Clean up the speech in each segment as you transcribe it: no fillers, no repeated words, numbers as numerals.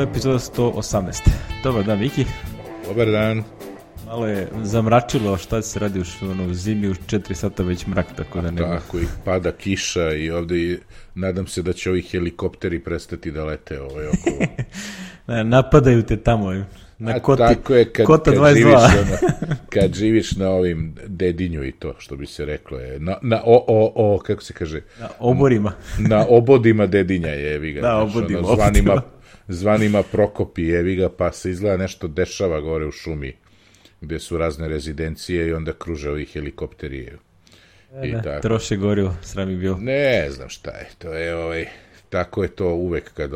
Epizoda 118. Dobar dan, Viki. Dobar dan. Malo je zamračilo, šta se radi u zimi, u 4 sata već mrak, tako da nema. Tako, i pada kiša i ovde nadam se da će ovi helikopteri prestati da lete okolo. Napadaju te tamo, na koti, tako je, kota 22. Kad živiš na ovim dedinju i to, što bi se reklo, je, kako se kaže? Na oborima. Na obodima dedinja je, jevi ga. Da, obodima. Zvanima Prokopi, jevi ga, pa se izgleda nešto dešava gore u šumi, gde su razne rezidencije i onda kruže ovi helikopteri. Troše gorivo, sram je bilo. Ne znam šta je, to je tako je to uvek kad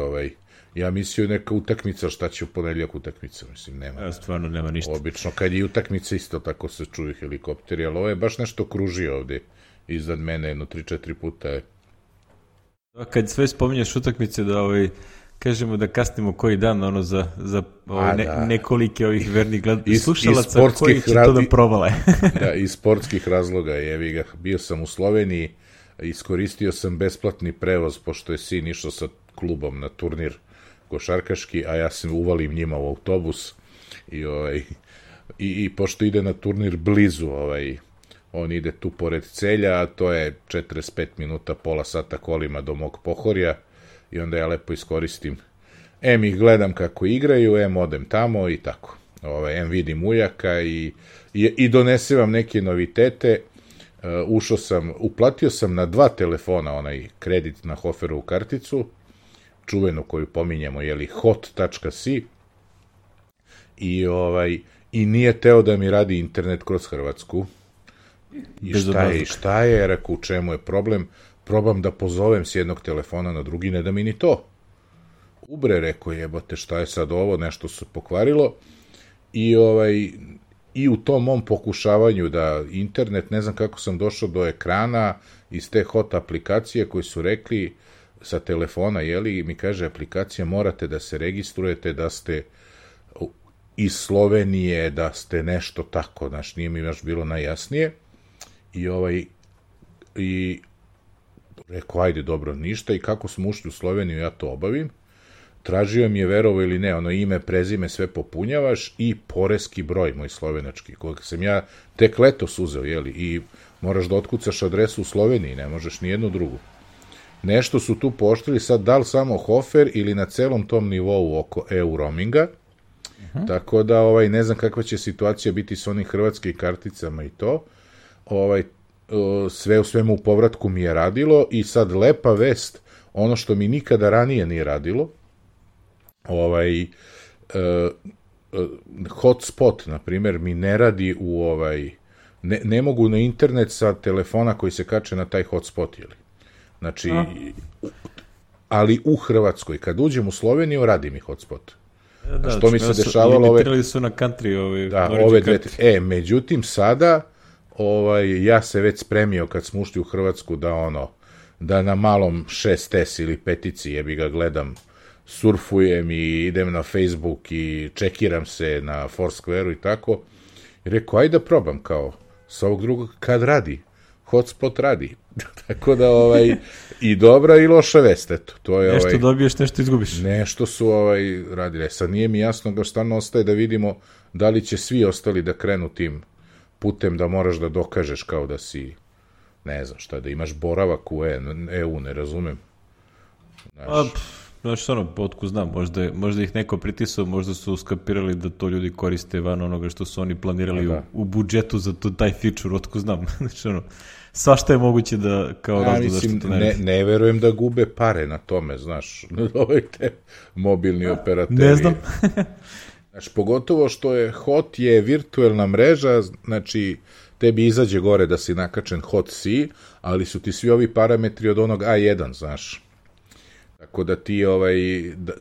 ja mislio neka utakmica, šta će u ponedjeljak utakmica, mislim, nema. Stvarno nema ništa. Obično, kad je utakmica isto tako se čuju helikopteri, ali ovo je baš nešto kruži ovde iznad mene, 3-4 puta je. Kad sve spominješ utakmice, da kažemo da kasnimo koji dan, za nekolike ovih vernih slušalaca koji će to da provale. Da, iz sportskih razloga, jevi ga, bio sam u Sloveniji, iskoristio sam besplatni prevoz, pošto je sin išao klubom na turnir košarkaški, a ja se uvalim njima u autobus i pošto ide na turnir blizu, on ide tu pored Celja, a to je 45 minuta, pola sata kolima do mog Pohorja, i onda ja lepo iskoristim, ih gledam kako igraju, odem tamo i tako, vidim ujaka i donese vam neke novitete. Uplatio sam na 2 telefona onaj kredit na Hoferovu karticu, čuvenu koju pominjemo, hot.si, i nije teo da mi radi internet kroz Hrvatsku. I šta je, rekao, u čemu je problem? Probam da pozovem s jednog telefona na drugi, ne da mi ni to. Ubre, rekao, jebote, šta je sad ovo, nešto se pokvarilo. I u tom mom pokušavanju da internet, ne znam kako sam došao do ekrana iz te hot aplikacije koji su rekli sa telefona, mi kaže aplikacija, morate da se registrujete, da ste iz Slovenije, da ste nešto tako, znaš, nije mi baš bilo najjasnije. I rekao, ajde, dobro, ništa, i kako smo ušli u Sloveniju, ja to obavim. Tražio mi je, verovo ili ne, ime, prezime, sve popunjavaš i poreski broj, moj slovenački, kojeg sam ja tek letos uzeo, i moraš da otkucaš adresu u Sloveniji, ne možeš ni jednu drugu. Nešto su tu pooštrili, sad da li samo Hofer ili na celom tom nivou oko EU roaminga, tako da ne znam kakva će situacija biti s onim hrvatskim karticama i to. Sve u svemu u povratku mi je radilo i sad lepa vest, ono što mi nikada ranije nije radilo, hotspot, na primjer, mi ne radi ne mogu na internet sa telefona koji se kače na taj hotspot, znači, ali u Hrvatskoj, kad uđem u Sloveniju, radi mi hotspot. Što mi se dešavalo limitirali su na country ove dve, međutim sada ja se već spremio kad smo ušli u Hrvatsku da na malom 6S ili 5-ici jebi ga gledam, surfujem i idem na Facebook i čekiram se na Foursquare-u i tako. I rekao, ajde da probam kao sa ovog drugog, kad radi, hotspot radi. Tako da i dobra i loša vest, eto. To je, nešto dobiješ, nešto izgubiš. Nešto su radili. Sad nije mi jasno da stvarno ostaje da vidimo da li će svi ostali da krenu tim putem da moraš da dokažeš kao da si, ne znam šta, da imaš boravak u EU, ne razumem. Znaš, otko znam, možda ih neko pritisao, možda su skapirali da to ljudi koriste van onoga što su oni planirali u budžetu za taj feature, otko znam. Znači, svašta je moguće da kao razlog zašto to ne verujem da gube pare na tome, znaš, te mobilni operateri. Ne znam. Znači, pogotovo što je hot je virtuelna mreža, znači, tebi izađe gore da si nakačen hot.si, ali su ti svi ovi parametri od onog A1, znaš. Tako da ti,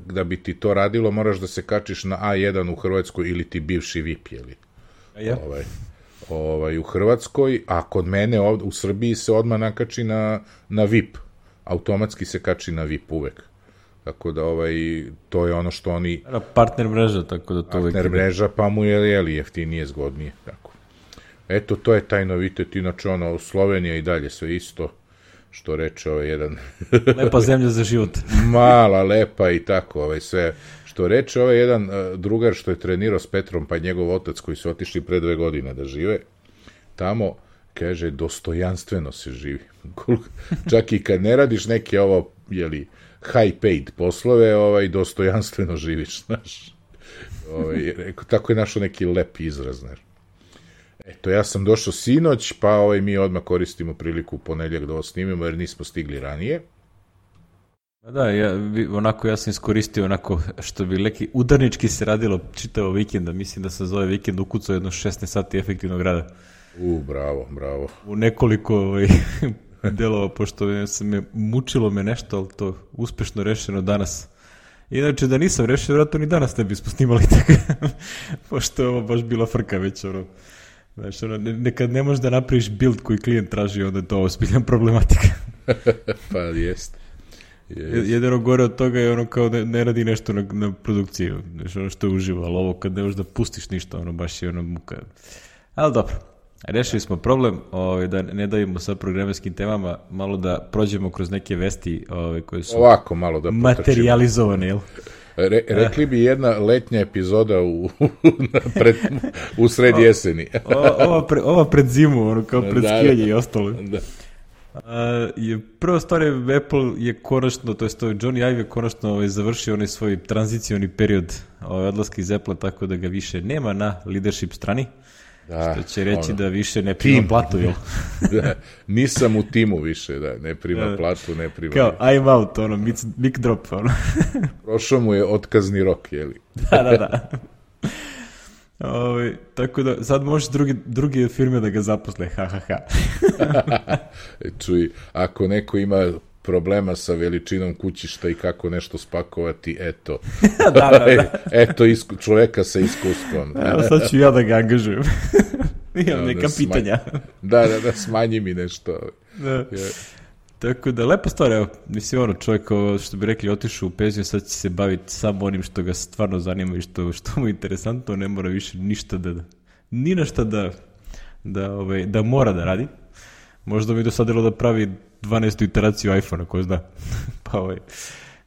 da bi ti to radilo, moraš da se kačiš na A1 u Hrvatskoj ili ti bivši VIP, u Hrvatskoj, a kod mene u Srbiji se odmah nakači na VIP. Automatski se kači na VIP uvek. Tako da to je ono što oni... Partner mreža, tako da to uvek... Partner mreža, pa mu je jeftinije, zgodnije, tako. Eto, to je taj novitet, inače Slovenija i dalje sve isto, što reče jedan... Lepa zemlja za život. Mala, lepa i tako, sve Eto, reče ovaj jedan drugar što je trenirao s Petrom, pa njegov otac koji su otišli pre 2 godine da žive tamo, kaže, dostojanstveno se živi. Čak i kad ne radiš neke ovo, jeli, high paid poslove, dostojanstveno živiš, znaš. Tako je našo neki lep izraz, znaš. Eto, ja sam došao sinoć, pa mi odmah koristimo priliku u ponedjeljak da ovo snimimo, jer nismo stigli ranije. Da, ja sam iskoristio onako, što bi leki udarnički se radilo čitavo vikenda, mislim da sam za ovaj vikend ukucao jedno 16 sati efektivnog rada. Bravo. U nekoliko delova, pošto mučilo me nešto, ali to uspešno rešeno danas. Inače, da nisam rešio, vratno ni danas ne bismo snimali tako, pošto je ovo baš bila frka već, Znaš, nekad ne možeš da napraviš build koji klijent traži, onda je to ozbiljna problematika. Pa jest. Jedino gore od toga je kao da ne radi nešto na produkciji, znači što je uživo, ali ovo kad ne možeš da pustiš ništa, baš je muka. Ali dobro, rešili smo problem, da ne davimo sa programerskim temama, malo da prođemo kroz neke vesti koje su ovako malo da materijalizovane, jel? Rekli bi jedna letnja epizoda u sred jeseni. Ova pred zimu, kao pred skijanje i ostalo. Da. Prva stvar je, Apple je konačno, to je Johnny Ive je konačno završio onaj svoj tranzicioni period odlaska iz Apple, tako da ga više nema na leadership strani. Da, što će reći da više ne prima platu, jel? Da, nisam u timu više, ne prima platu, ne prima... Kao, I'm out, mic drop, Prošao mu je otkazni rok, jeli? Da. Tako da, sad možeš druge firme da ga zaposle, Čuj, ako neko ima problema sa veličinom kućišta i kako nešto spakovati, eto. Da. Eto čoveka sa iskustvom. Sad ću ja da ga angažujem. Imam neka pitanja. Da, smanji mi nešto. Da. Tako da, lepa stvar, evo, mislim, čovjek, što bi rekli, otišao u penziju, sad će se baviti samo onim što ga stvarno zanima i što mu je interesantno, ne mora više ništa ni na šta da mora da radi. Možda mi dosadilo da pravi 12. iteraciju iPhone-a, ko zna. Pa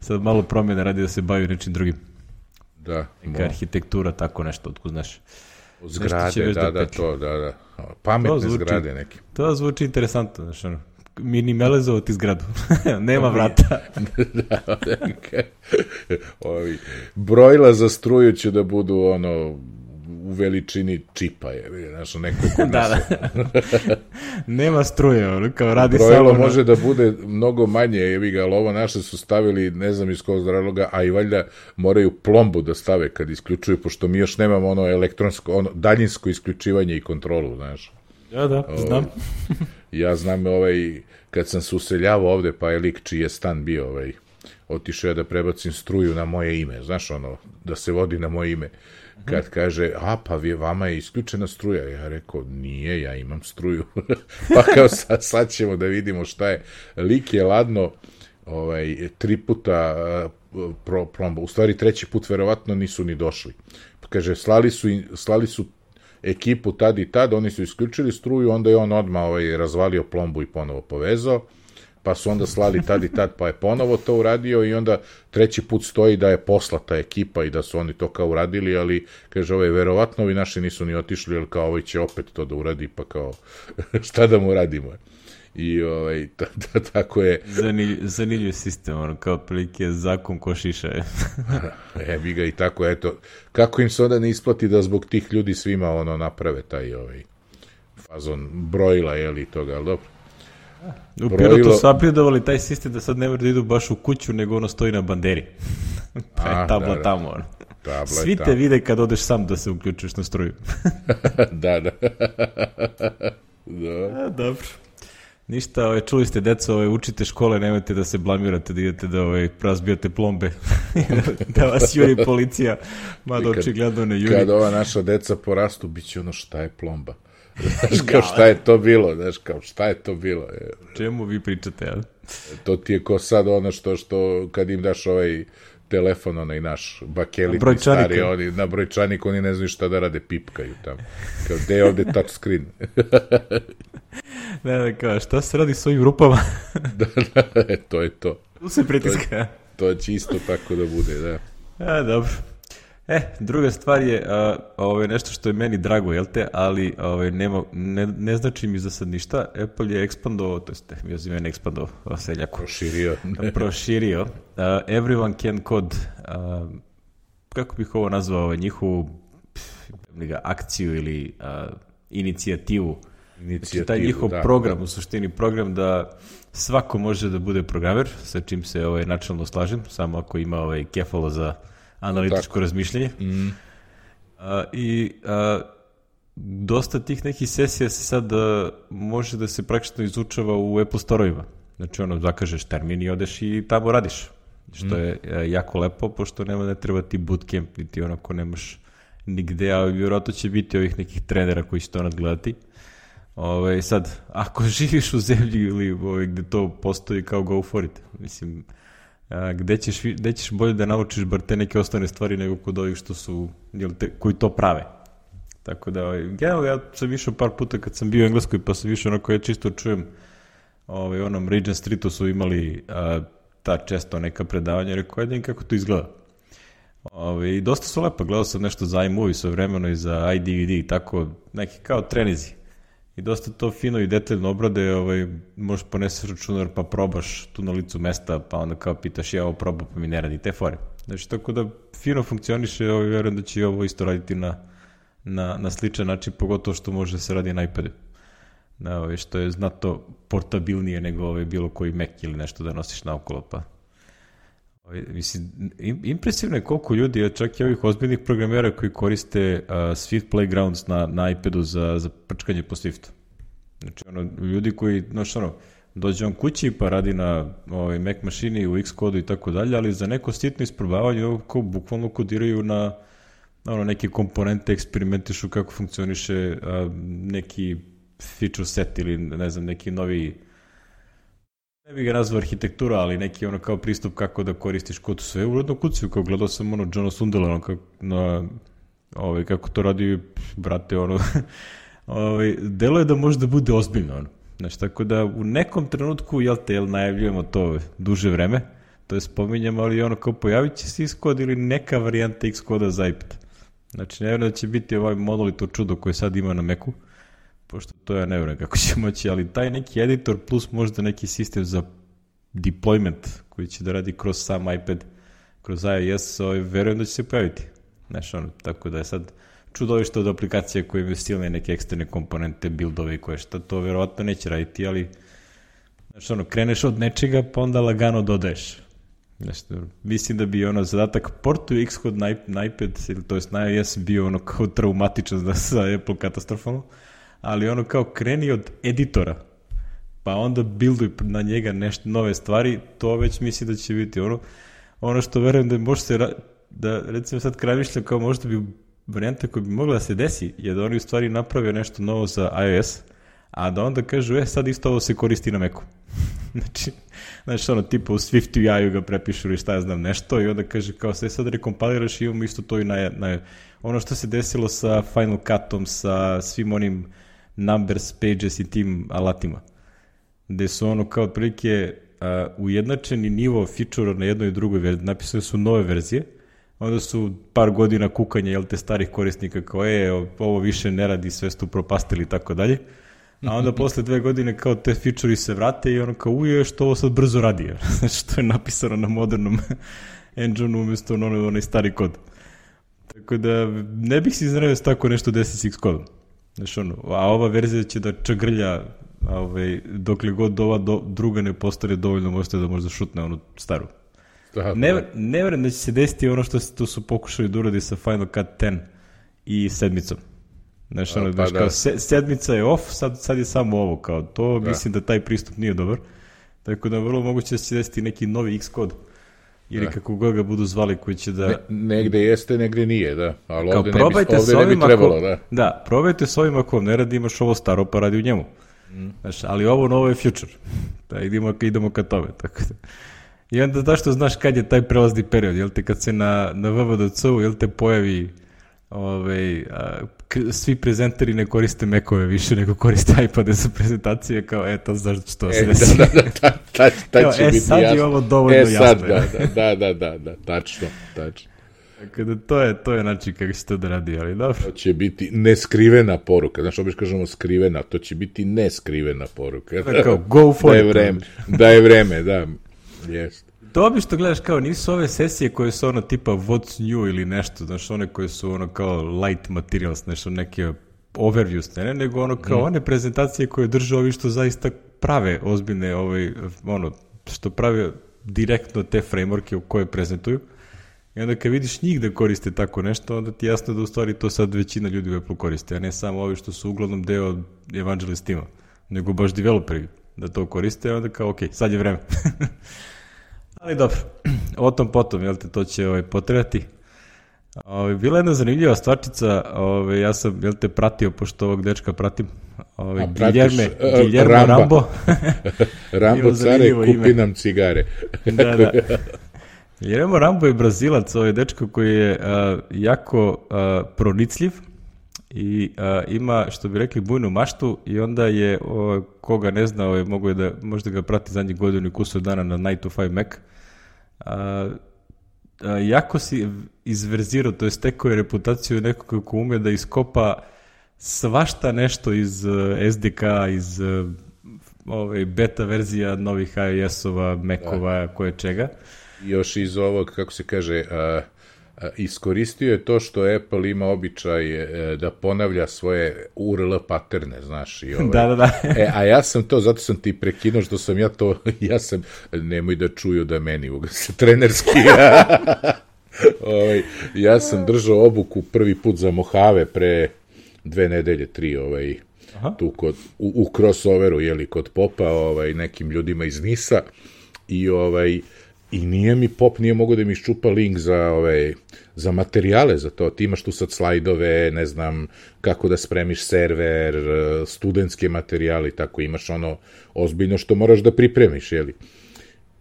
sad malo promjene radi da se bavi nečim drugim. Da. Neka arhitektura, tako nešto, otko znaš. Zgrade, da. Pametne zgrade neke. To zvuči interesantno, znaš, minimalizovati zgradu. Nema vrata. Brojila za struju će da budu u veličini čipa je, znaš, neko kod nas. Nema struje, kao radi brojilo samo... Brojilo može da bude mnogo manje, ali ovo naše su stavili, ne znam iz kog razloga, a i valjda moraju plombu da stave kad isključuju, pošto mi još nemamo elektronsko, daljinsko isključivanje i kontrolu, znaš. Da, znam. Ja znam kad sam se useljavao ovde, pa je lik čiji je stan bio, otišao ja da prebacim struju na moje ime, znaš, da se vodi na moje ime. Kad kaže, pa vama je isključena struja. Ja rekao, nije, ja imam struju. Pa kao sad ćemo da vidimo šta je. Lik je ladno 3 puta plomba. U stvari 3. put verovatno nisu ni došli. Pa kaže, slali su ekipu tad i tad, oni su isključili struju, onda je on odmah razvalio plombu i ponovo povezao. Pa su onda slali tad i tad, pa je ponovo to uradio i onda 3. put stoji da je poslata ekipa i da su oni to kao uradili, ali kaže, verovatno ovi naši nisu ni otišli, jer kao će opet to da uradi, pa kao šta da mu radimo. I tako je... Zanimljiv sistem, kao prilike zakon ko šiša. Evi ga i tako, eto, kako im se onda ne isplati da zbog tih ljudi svima naprave taj fazon brojila, jeli toga, ali dobro. U Pirotu su upgradovali taj sistem da sad ne mora da idu baš u kuću, nego stoji na banderi. Pa je tabla tamo. Svi te vide kad odeš sam da se uključiš na struju. Da. Dobro. Ništa, čuli ste, deco, učite škole, nemojte da se blamirate, da idete da razbijate plombe, da vas juri policija, mada očigledno ne juri. Kad ova naša deca porastu, bit će šta je plomba. Znaš, kao šta je to bilo, Čemu vi pričate, ja? To ti je ko sad što kad im daš telefon, naš bakelitni stari, oni na brojčanik, oni ne znaju šta da rade, pipkaju tamo. Kao, gde je ovde touch screen? Ne, kao, šta se radi s ovim rupama? Da, to je to. Tu se pritiska. To će isto tako da bude, da. Dobro. Druga stvar je nešto što je meni drago, jel te, ali ne znači mi za sad ništa. Apple je ekspandovao, to jest ja ekspandovao, seljaku. Proširio. Everyone can code, kako bih ovo nazvao, njihovu akciju ili inicijativu. Znači, taj njihov program, u suštini program da svako može da bude programer, sa čim se načelno slažem, samo ako ima kefalo za analitičko razmišljanje. Dosta tih nekih sesija se sad može da se praktično izučava u Apple Store-ovima. Znači, zakažeš termin i odeš i tamo radiš. Što je jako lepo, pošto ne treba ti bootcamp, niti onako nemaš nigde, a vjerojatno će biti ovih nekih trenera koji će to nadgledati. Sad, ako živiš u zemlji ili gde to postoji, kao go for it. Mislim, gde ćeš bolje da naučiš bar te neke osnovne stvari nego kod ovih što su, koji to prave. Tako da, ja sam išao par puta kad sam bio u Engleskoj, pa sam išao onako, ja čisto čujem, onom Regent Streetu su imali ta često neka predavanja, rekao, jedin kako to izgleda. I dosta su lepo, gledao sam nešto za iMovie sve vremeno i za iDVD i tako, neki kao trenizi. I dosta to fino i detaljno obrade, možeš poneseš računar pa probaš tu na licu mesta, pa onda kao pitaš ja ovo probam pa mi ne radi te fore. Znači, tako da fino funkcioniše, vjerujem da će i ovo isto raditi na sličan način, pogotovo što može da se radi na iPadu. Što je znatno portabilnije nego bilo koji Mac ili nešto da nosiš naokolo, pa. Mislim, impresivno je koliko ljudi, čak i ovih ozbiljnih programera koji koriste Swift Playgrounds na iPadu za prčkanje po Swiftu. Znači, ljudi koji, dođe on kući pa radi na Mac mašini u Xcode i tako dalje, ali za neko sitno isprobavanje kao bukvalno kodiraju na neke komponente, eksperimentišu kako funkcioniše neki feature set ili ne znam, neki novi, ne bih ga nazvao arhitektura, ali neki kao pristup kako da koristiš kod sve. Uredno kuciju, kao gledao sam Johna Sundela kako to radi, brate, delo je da može da bude ozbiljno, Znači, tako da u nekom trenutku, najavljujemo to duže vreme, to je spominjamo, ali kao pojavit će se Xcode ili neka varijanta Xcode za iPad. Znači, ne vjerujem da će biti ovaj monolito čudo koje sad ima na Macu, pošto to ja ne vjerujem kako će moći, ali taj neki editor plus možda neki sistem za deployment koji će da radi kroz sam iPad, kroz iOS, vjerujem da će se pojaviti. Znači, tako da je sad čudovište od aplikacije koje imaju silne neke eksterne komponente, buildove i koje šta, to vjerovatno neće raditi, ali znači, kreneš od nečega pa onda lagano dodaješ. Znači, mislim da bi zadatak portu Xcode na iPad, to jest na iOS bio kao traumatičan za Apple katastrofalno, ali kao kreni od editora, pa onda builduj na njega nešto nove stvari, to već misli da će biti ono što verujem da može se, da recimo sad kramišljam kao možda bi varijanta koja bi mogla da se desi, je da oni u stvari naprave nešto novo za iOS, a da onda kažu, sad isto ovo se koristi na Macu. Znači, tipa u Swiftu i AI-u ga prepišu ili šta ja znam nešto i onda kaže kao sve sad rekompaliraš i imamo isto to i na ono što se desilo sa Final Cutom, sa svim onim Numbers, Pages i tim alatima, gde su kao otprilike ujednačeni nivo feature na jednoj i drugoj verziji, napisali su nove verzije, onda su par godina kukanja, te starih korisnika kao ovo više ne radi, sve su propastili i tako dalje, a onda posle 2 godine kao te feature-i se vrate i kao što ovo sad brzo radi, znači to je napisano na modernom engine umjesto onaj stari kod. Tako da ne bih se iznenavio s tako nešto desi s Xcode. Znači a ova verzija će da čagrlja dokle god ova druga ne postane dovoljno možete da možda šutne onu staru. Ne vjerujem da će se desiti ono što su pokušali da uradi sa Final Cut 10 i 7. Znači, kao 7 je off, sad je samo ovo, kao to, mislim da taj pristup nije dobar, tako da vrlo moguće da će desiti neki novi Xcode, ili kako god ga budu zvali, koji će da... Negde jeste, negde nije, da, ali ovde ne bi trebalo, da. Da, probajte s ovim ako vam ne radi, imaš ovo staro, pa radi u njemu. Znači, ali ovo novo je future, da idemo ka tome, tako da... I onda zašto znaš kad je taj prelazni period, jel te kad se na VVDC-u, jel te pojavi svi prezenteri ne koriste Mac-ove više, nego koriste iPade za prezentacije, kao, to znaš što se desi. Tad će biti sad jasno. Je ovo dovoljno jasno. Da, tačno. Kada to je način kako se to da radi, ali dobro. To će biti neskrivena poruka. Znaš, obično kažemo skrivena, to će biti neskrivena poruka. Kao, go for it. Da je vreme, da. Jest. To obično gledaš kao, nisu ove sesije koje su ono tipa what's new ili nešto, znaš, one koje su ono kao light materials, nešto neke overview scene, nego ono kao one prezentacije koje drže ovi što zaista prave ozbiljne, što prave direktno te frameworke u koje prezentuju. I onda kad vidiš njih da koriste tako nešto, onda ti je jasno da u stvari to sad većina ljudi u Apple koriste, a ne samo ovi što su uglavnom deo Evangelist tima, nego baš developeri da to koriste, a onda kao, ok, sad je vreme. Ali dobro, o tom potom, jel te, to će potrebati. Bila jedna zanimljiva stvarčica, ja sam, jel te, pratio, pošto ovog dečka pratim, Guillermo Rambo. Rambo care, kupi nam cigare. Da. Guillermo Rambo je Brazilac, dečko koji je jako pronicljiv i ima, što bi rekli, bujnu maštu i onda je, koga ne zna, mogu je da možda ga prati zadnjih godinu i kusur dana na 9 to 5 Mac, jako si izverzirao, to je stekao je reputaciju nekog ko ume da iskopa svašta nešto iz SDK, iz beta verzija novih iOS-ova, Mac-ova, koje čega. Još iz ovog, kako se kaže, iskoristio je to što Apple ima običaj da ponavlja svoje URL paterne, znaš. I Da. A ja sam to, zato sam ti prekinuo što sam nemoj da čuju da meni se trenerski. Ja sam držao obuku prvi put za Mojave pre 2 nedelje, 3, tu u crossoveru, kod Popa, nekim ljudima iz Nisa i Pop nije mogao da mi iščupa link za materijale za to. Ti imaš tu sad slajdove, ne znam kako da spremiš server, studentske materijale i tako, imaš ono ozbiljno što moraš da pripremiš,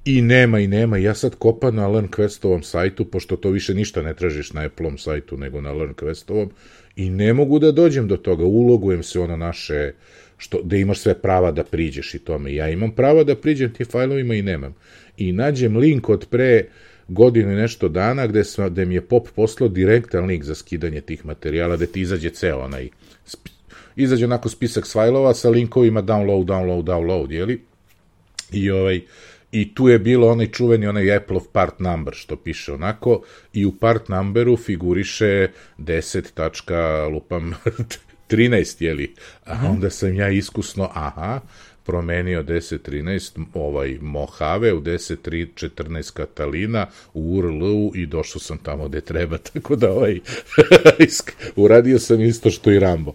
I nema, ja sad kopam na LearnQuestovom sajtu, pošto to više ništa ne tražiš na Apple-om sajtu, nego na LearnQuestovom, i ne mogu da dođem do toga, ulogujem se naše, da imaš sve prava da priđeš i tome. Ja imam prava da priđem ti fajlovima i nemam. I nađem link od pre godinu i nešto dana gde mi je Pop poslao direktan link za skidanje tih materijala, gde ti izađe ceo izađe onako spisak fajlova sa linkovima download, jeli? I tu je bilo onaj čuveni Apple-ov part number, što piše onako, i u part numberu figuriše 10.13, jeli? A onda sam ja iskusno, promenio 10.13 Mojave u 10.14 Katalina u URL-u i došao sam tamo gde treba, tako da uradio sam isto što i Rambo.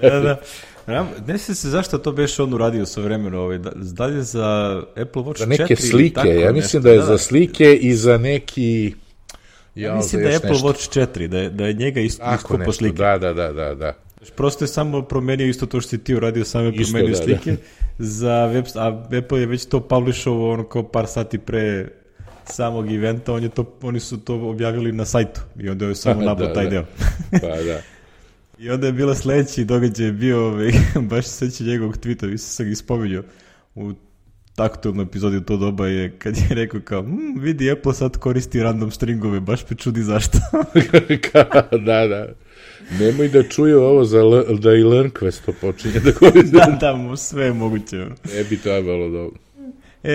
Da. Ne se zašto to beš on uradio sa vremenu, da li je za Apple Watch 4 za neke slike, ja mislim da je za slike i za neki... Ja mislim da je Apple Watch 4, da je njega iskopo slike. Da. Prosto je samo promenio isto to što si ti uradio, samo je promenio slike za web, a Apple je već to publishovao kao par sati pre samog eventa, oni su to objavili na sajtu i onda je samo nabao taj deo. Pa da. I onda je bila sledeći događaj bio, baš se seća njegovog tweeta, vi sam ga ispominjao u taktualnoj epizodi u to doba, je kad je rekao kao, vidi, Apple sad koristi random stringove, baš me čudi zašto. Da. Nemoj da čuju ovo da i LearnQuest to počinje da koristi. Da, sve je moguće. Ne bi trebalo dobro.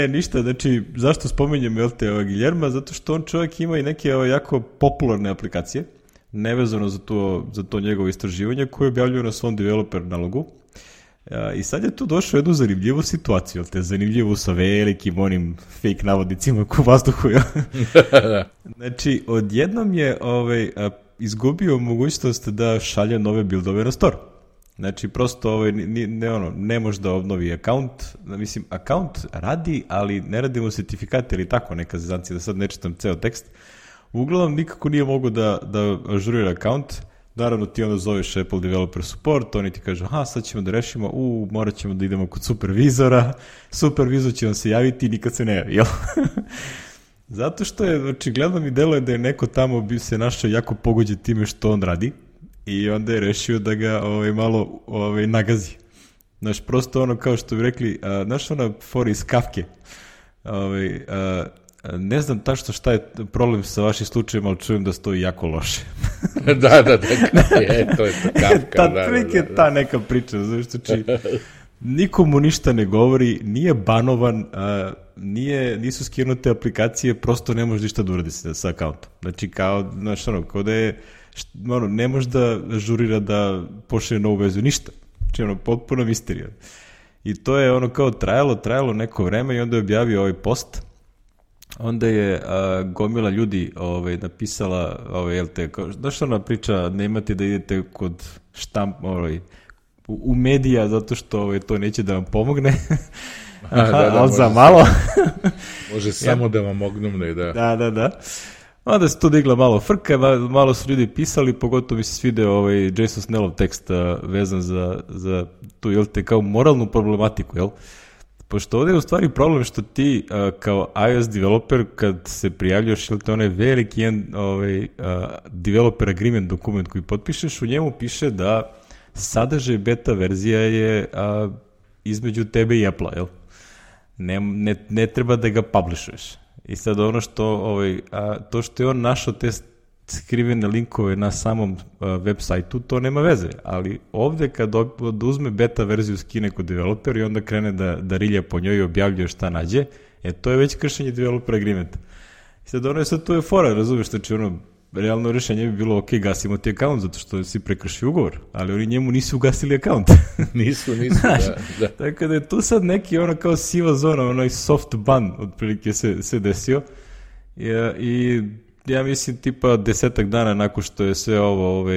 Ništa, znači, zašto spominjem Guillerma? Zato što on čovjek ima i neke jako popularne aplikacije, nevezano za to njegovo istraživanje, koje objavljaju na svom developer nalogu. I sad je tu došao jednu zanimljivu situaciju, zanimljivu sa velikim onim fake navodnicima u vazduhu. Znači, odjednom je izgubio mogućnost da šalje nove buildove na store. Znači, prosto ne može da obnovi account. Mislim, account radi, ali ne radi mu certifikat ili tako neka zezancija, da sad ne čitam ceo tekst. Uglavnom, nikako nije mogu da ažurira account. Naravno, ti onda zoveš Apple Developer Support, oni ti kažu, sad ćemo da rešimo, morat ćemo da idemo kod supervizora, supervizor će vam se javiti i nikad se ne javi, jel? Zato što je, očigledno mi deluje da je neko tamo bi se našao jako pogođen time što on radi i onda je rešio da ga malo nagazi. Znaš, prosto kao što bi rekli, znaš fora iz Kafke, ne znam tačno šta je problem sa vašim slučajem, ali čujem da stoji jako loše. Da, to je Kafka. Ta neka priča, znači, nikomu ništa ne govori, nije banovan, nisu skinute aplikacije, prosto ne može ništa da uradi sa akauntom. Znači, kao da je, ne može da žurira da pošle novu vezu, ništa. Znači, potpuno misterija. I to je kao trajalo neko vreme i onda je objavio ovaj post. Onda je gomila ljudi napisala, znaš ona priča, nemate da idete kod u medija zato što to neće da vam pomogne, ali za malo. Može samo da vam ognumne, da. Da. Onda se tu digla malo frka, malo su ljudi pisali, pogotovo mi se svideo Jason Snellov tekst vezan za tu, kao moralnu problematiku, jel? Pošto ovdje je u stvari problem što ti kao iOS developer kad se prijavljaš, onaj veliki developer agreement dokument koji potpišeš, u njemu piše da sadržaj beta verzija je između tebe i Apple-a, jel? Ne treba da ga publishuješ. I sad ono to što je on našao te skrivene linkove na samom web sajtu, to nema veze, ali ovde kad uzme beta verziju skine kod developer i onda krene da rilja po njoj i objavljuje šta nađe, to je već kršenje developer agreementa. I sad to je fora, razumiješ, znači realno rešenje bi bilo ok, gasimo ti akaunt zato što si prekršio ugovor, ali oni njemu nisu ugasili akaunt. nisu, da. Tako da je tu sad neki kao siva zona, onaj soft ban otprilike se desio i ja mislim tipa 10 dana nakon što je sve ovo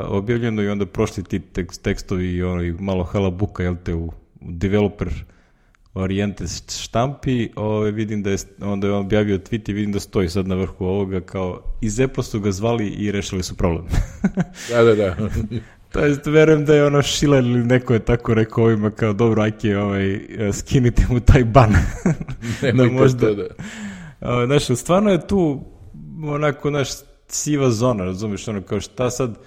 objavljeno i onda prošli ti tekstovi i malo halabuka, jel te, u developer orijente štampi, vidim da je, onda je on objavio tweet i vidim da stoji sad na vrhu ovoga kao iz Apple su ga zvali i rešili su problem. Da. To jest, verujem da je Šiler ili neko je tako rekao ovima kao dobro, ajke, skinite mu taj ban. Nemojte to, da. Znaš, stvarno je tu siva zona, razumiješ, kao šta sad,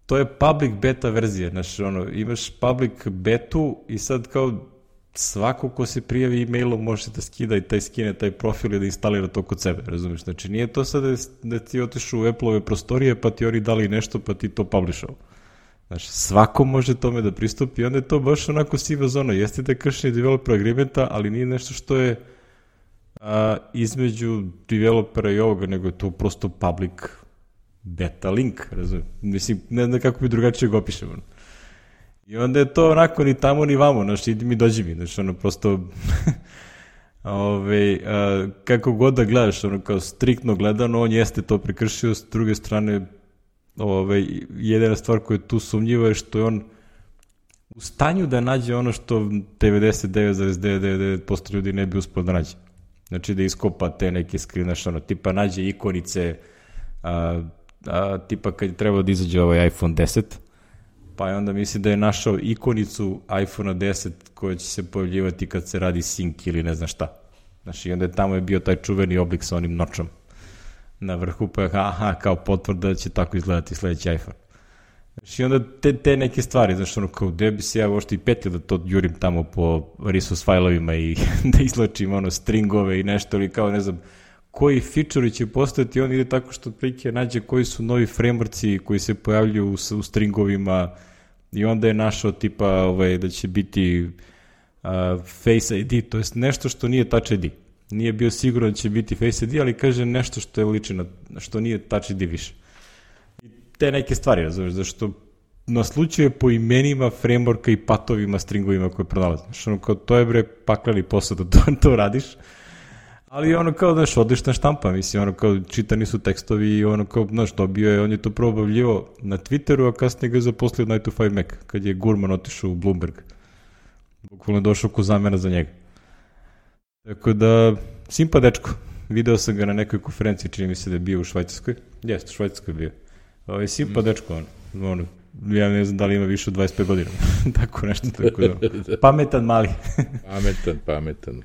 to je public beta verzija, znaš, imaš public betu i sad kao svako ko se prijavi e-mailom može da skida i skine taj profil i da instalira to kod sebe, razumiješ, znači nije to sad da ti otišu u Apple-ove prostorije pa ti oni dali nešto pa ti to publishao. Znači, svako može tome da pristupi i onda je to baš onako siva zona, jeste da je kršenje developer agreementa, ali nije nešto što je između developera i ovoga, nego je to prosto public beta link, razumiješ, mislim, ne znam kako bi drugačije ga opišemo. I onda je to onako ni tamo ni vamo, znači idi mi dođi mi, znači prosto kako god da gledaš, kao striktno gledano, on jeste to prekršio, s druge strane jedina stvar koja je tu sumnjiva je što je on u stanju da nađe ono što 99,999% ljudi ne bi uspio da nađe. Znači da iskopa te neke screen, tipa nađe ikonice, tipa kad je trebao da izađe iPhone 10, pa je onda misli da je našao ikonicu iPhone 10 koja će se pojavljivati kad se radi sync ili ne znam šta. Znači, i onda je tamo bio taj čuveni oblik sa onim nočom na vrhu, pa je kao potvrda da će tako izgledati sledeći iPhone. Znači, i onda te neke stvari, znači, kao gde bi se ja uopšte i petio da to jurim tamo po resource failovima i da izlačim stringove i nešto, ili kao, ne znam, koji feature će postojati, on ide tako što prike nađe koji su novi frameworkci koji se pojavljuju u stringovima i onda je našao tipa da će biti Face ID, to jest nešto što nije Touch ID. Nije bio siguran da će biti Face ID, ali kaže nešto što je liči na, što nije Touch ID više. I te neke stvari, razumiješ, zašto naslučuje po imenima frameworka i patovima, stringovima koje pronalazi. Znači, kao to je paklani posao da to radiš. Ali kao, znaš, odlična štampa, mislim, kao čitani su tekstovi i kao, znaš, dobio je, on je to probavljivo na Twitteru, a kasnije ga je zaposlio od 9 to 5 Mac, kad je Gurman otišao u Bloomberg. Bukvalno je došao ko zamena za njega. Tako da, simpa dečko, video sam ga na nekoj konferenciji, čini mi se da je bio u Švajcarskoj. Jeste, u Švajcarskoj je bio. Simpa dečko, ja ne znam da li ima više od 25 godina. Tako nešto, tako da. Pametan mali. Pametan.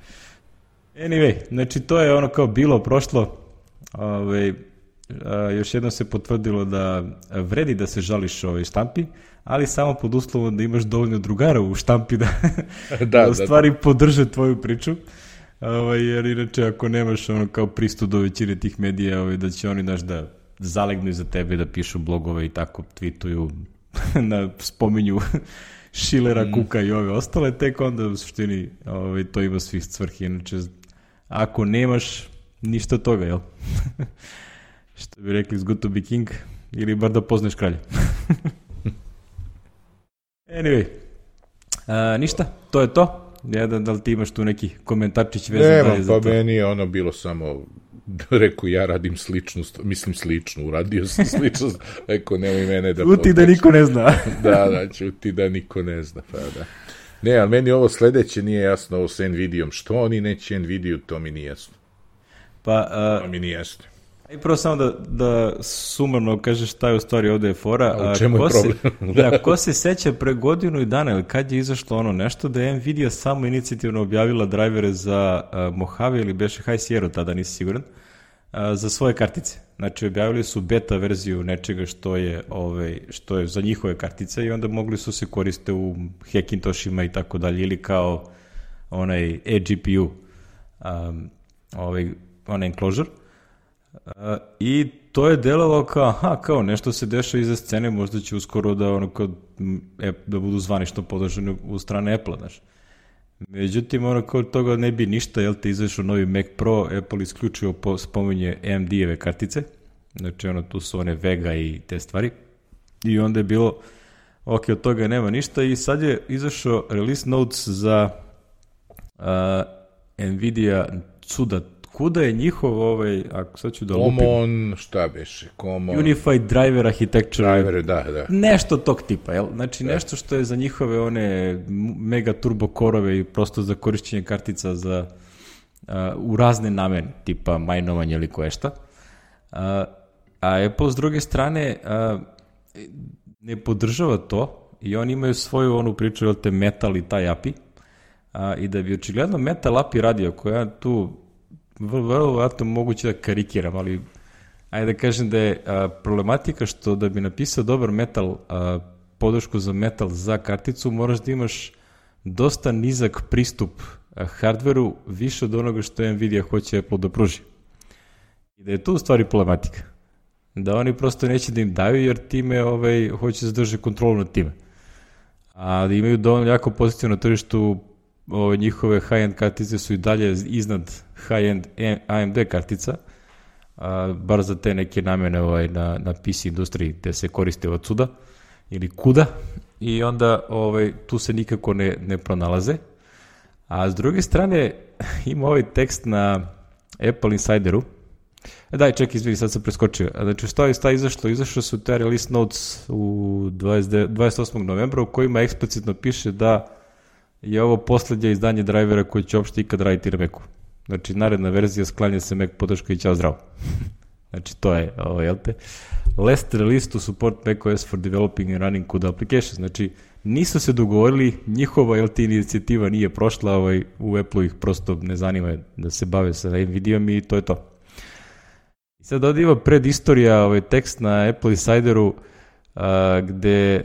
Anyway, znači to je kao bilo, prošlo, još jednom se potvrdilo da vredi da se žališ štampi, ali samo pod uslovom da imaš dovoljno drugara u štampi da u stvari podrže tvoju priču. Jer inače ako nemaš ono kao pristup do većine tih medija, da će oni da zalegnu iza tebe, da pišu blogove i tako tweetuju, spominju Schillera, Kuka i ove ostale, tek onda u suštini to ima svih svrhi. Inače, ako nemaš ništa toga, jel? Što bi rekli, it's good to be king, ili bar da poznaš kralja. Anyway, ništa, to je to. Da li ti imaš tu neki komentarčić vezan dalje za to? Nemam, pa meni je ono bilo samo, rekao ja radim sličnu, uradio sam slično, rekao nemoj mene da... Čuti da niko ne zna. Da, čuti da niko ne zna, pa da. Ne, ali meni ovo sledeće nije jasno, ovo sa Nvidijom, što oni neće Nvidiju, to mi nije jasno. To mi nije jasno. I prvo samo da sumarno kažeš šta je u stvari ovde je fora. A u čemu je problem? Ko se seća pre godinu i dana, ili kad je izašlo ono nešto, da je Nvidia samo inicijativno objavila drajvere za Mojave ili beše High Sierra, tada nisi siguran, za svoje kartice. Znači objavili su beta verziju nečega što je za njihove kartice i onda mogli su se koriste u Hackintoshima i tako dalje, ili kao onaj eGPU, onaj enclosure. I to je delovalo kao nešto se dešava iza scene, možda će uskoro da budu zvanično podržani u strane Apple-a, znaš. Međutim, kod toga ne bi ništa, jel te izašao novi Mac Pro, Apple isključivo spominje AMD-eve kartice, znači tu su one Vega i te stvari, i onda je bilo, ok, od toga nema ništa, i sad je izašao release notes za Nvidia CUDA. Kuda je njihov, ako sad ću da lupim... Common, šta beše? Unified Driver Architecture. Da. Nešto tog tipa, jel? Znači nešto što je za njihove one mega turbo korove i prosto za korišćenje kartica u razne namene, tipa majnovanje ili koje šta. A Apple s druge strane ne podržava to i oni imaju svoju onu priču, jel te, Metal i taj API. I da bi očigledno Metal API radio, koja tu vrlo moguće da karikiram, ali ajde da kažem da je problematika što da bi napisao dobar Metal, podršku za Metal za karticu, moraš da imaš dosta nizak pristup hardveru, više od onoga što Nvidia hoće Apple da pruži. I da je tu u stvari problematika. Da oni prosto neće da im daju, jer time hoće zadržati kontrolu nad time. A da imaju dovoljno jako pozitivno na tržištu, njihove high-end kartice su i dalje iznad high-end AMD kartica, bar za te neke namene na PC industriji gde se koriste od CUDA ili KUDA, i onda tu se nikako ne pronalaze. A s druge strane ima ovaj tekst na Apple Insideru. Izvini, sad sam preskočio. Znači, šta je izašlo? Izašlo su te release notes u 28. novembra u kojima eksplicitno piše da je ovo poslednje izdanje drajvera koji će uopšte ikad raditi na Macu. Znači, naredna verzija sklanja se Mac podrška i ćao zdravo. Znači, to je ovo, jel te? Last release to support macOS for developing and running CUDA applications. Znači, nisu se dogovorili, njihova, jel te, inicijativa nije prošla, u Apple ih prosto ne zanima da se bave sa Nvidijom i to je to. I sad ovdje ima predistorija, tekst na Apple Insideru, gde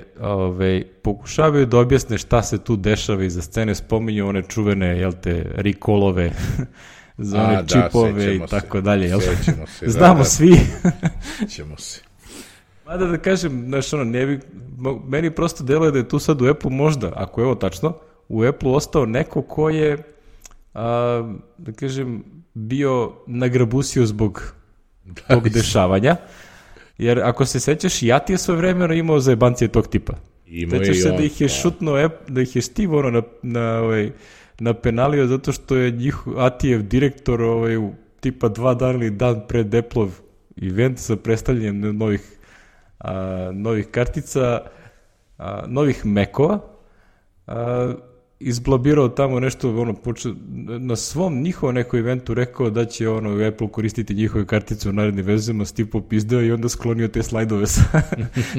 pokušavaju da objasne šta se tu dešava iza scene, spominju one čuvene, jel te, recallove za one čipove i tako dalje, jel? Znamo svi. Ćemo se. Mada da kažem, znaš, meni prosto deluje da je tu sad u Apple možda, ako je ovo tačno, u Apple ostao neko ko je, da kažem, bio nagrabusio zbog tog dešavanja. Jer ako se sećaš, Yati je svoje vremena imao zajebancije tog tipa. Sećaš se da ih je šutno, da ih je Steve napenalio zato što je Atijev direktor tipa 2 dana ili dan pred Apple-ov event sa predstavljanjem novih kartica, novih Mac-ova, izblabirao tamo nešto, na svom njihovom nekom eventu rekao da će Apple koristiti njihove kartice u narednim verzijama, Steve popizdeo i onda sklonio te slajdove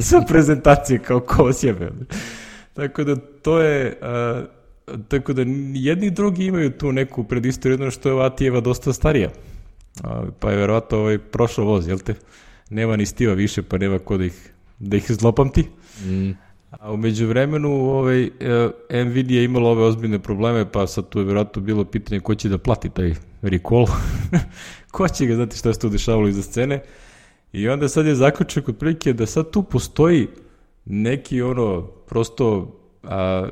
sa prezentacije kao ko sjebe. Tako da to je, tako da jedni i drugi imaju tu neku predistoriju, jedno što je Atijeva dosta starija, pa je verovatno prošao voz, jel te? Nema ni Steva više, pa nema ko da ih zlopamti. A umeđu vremenu Nvidia je imala ove ozbiljne probleme, pa sad tu je vjerojatno bilo pitanje ko će da plati taj recall, ko će ga, znati šta se tu dešavalo iza scene. I onda sad je zaključak otprilike da sad tu postoji neki prosto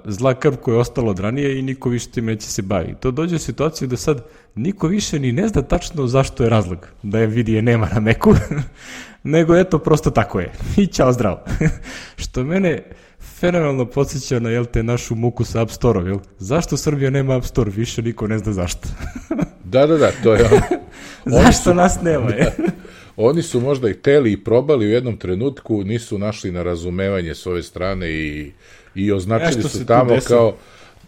zla krv koja je ostala od ranije i niko više tim neće se baviti. To dođe u situaciju da sad niko više ni ne zna tačno zašto je razlog da Nvidia nema na Macu, nego eto, prosto tako je. I ćao, zdravo. Što mene fenomenalno podsjeća na našu muku sa App Store-om, jel? Zašto Srbija nema App Store? Više niko ne zna zašto. Da, to je Zašto nas nema, je? Oni su možda i hteli i probali u jednom trenutku, nisu našli na razumevanje s ove strane i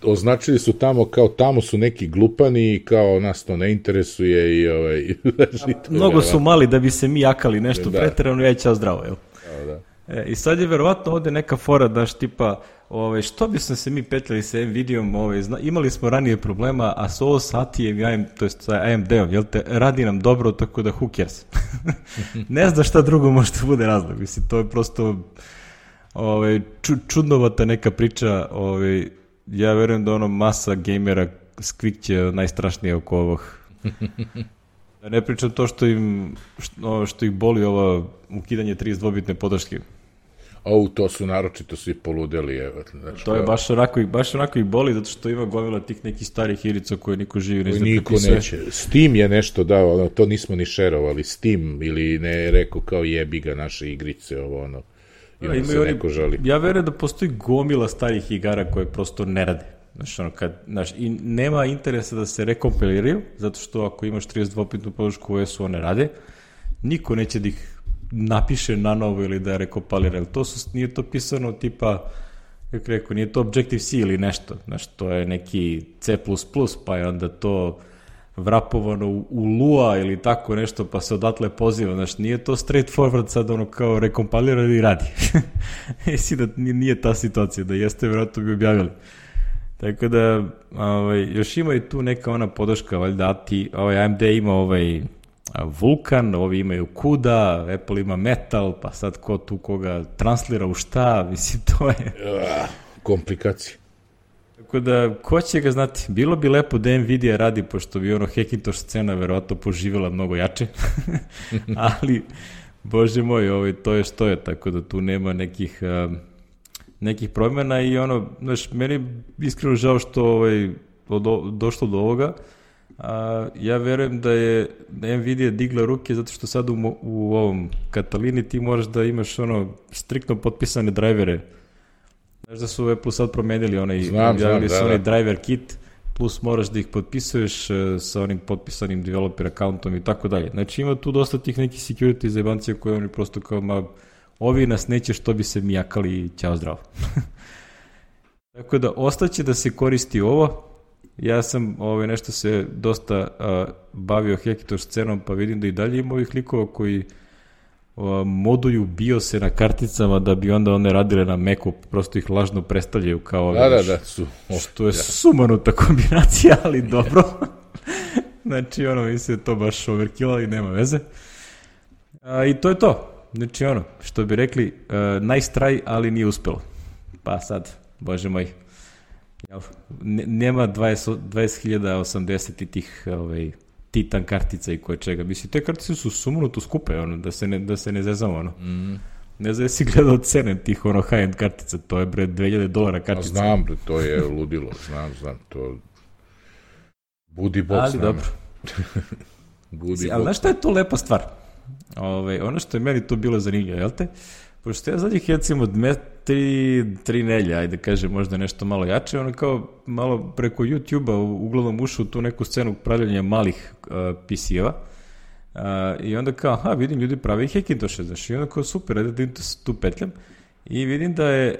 označili su tamo kao tamo su neki glupani i kao nas to ne interesuje i mnogo su mali da bi se mi jakali nešto preterano, ja ćao zdravo, jel? Da. I sad je verovatno ovde neka fora, daš, tipa, što bi se mi petljali sa Nvidiom, imali smo ranije problema, a s ovo sa ATI-em, to je sa AMD-om, jel te, radi nam dobro, tako da who cares? Ne zna šta drugo može da bude razlog, mislim, to je prosto čudnovata neka priča, ja verujem da masa gamera skvikće najstrašnije oko ovog. Da ne pričam to što ih boli ova ukidanje 32-bitne podrške. To su naročito svi poludeli. To je baš onako ih boli, zato što ima gomila tih nekih starih igrica koje niko živi ne zna prepisuje. Neće. Steam je nešto dao, to nismo ni šerovali. Steam ili ne rekao kao jebi ga naše igrice, i onda se neko žali. Ja verujem da postoji gomila starih igara koje prosto ne rade. I nema interesa da se rekompiliraju, zato što ako imaš 32-bitnu podršku u OS-u, one rade. Niko neće da ih napiše na novo ili da rekompilira. Nije to pisano tipa, kako rekao, nije to Objective-C ili nešto. To je neki C++, pa je onda to vrapovano u Lua ili tako nešto, pa se odatle poziva. Nije to straightforward sad kao rekompilira ili radi. Jesi da nije ta situacija, da jeste, vjerojatno bi objavili. Tako da, još ima i tu neka podrška, valjda AMD ima Vulkan, ovi imaju CUDA, Apple ima Metal, pa sad ko tu koga translira u šta, mislim, to je... Komplikacije. Tako da, ko će ga znati? Bilo bi lepo da Nvidia radi, pošto bi Hackintosh scena verovatno poživjela mnogo jače, ali, bože moj, to je što je, tako da tu nema nekih promjena i meni iskreno žao što došlo do ovoga. Ja verujem da je Nvidia digla ruke zato što sad u ovom Katalini ti moraš da imaš striktno potpisane drajvere. Znaš da su Apple sad promenili objavili su onaj driver kit, plus moraš da ih potpisuješ sa onim potpisanim developer accountom i tako dalje. Znači ima tu dosta tih nekih security zajebancija koje oni prosto kao ovi nas neće što bi se mijakali i ćao zdravo. Tako da ostaće da se koristi ovo. Ja sam nešto se dosta bavio Hackintosh scenom, pa vidim da i dalje ima ovih likova koji moduju BIOS-e na karticama da bi onda one radile na Macu, prosto ih lažno predstavljaju kao što je sumanuta kombinacija, ali dobro. Znači, mislim da to baš overkill, i nema veze. I to je to. Znači, što bi rekli, nice try, ali nije uspelo. Pa sad, bože moj, nema 20.080 i tih Titan kartica i koje čega. Mislim, te kartice su sumanuto skupe, da se ne zezamo, Ne znam, jesi gledao cene tih high-end kartica, to je $2,000 kartica. Znam, to je ludilo, znam, to budi bok s nama. Ali dobro. Ali znaš šta je to lepa stvar? Ono što je meni to bilo zanimljivo, jel te? Pošto ja zadnjih recimo 3 nelje, ajde kažem možda nešto malo jače, kao malo preko YouTube-a uglavnom ušao u tu neku scenu pravljanja malih PC-eva i onda kao, vidim ljudi pravi Hackintoshe, znaš, i onda kao super, ajde da tu petljam i vidim da je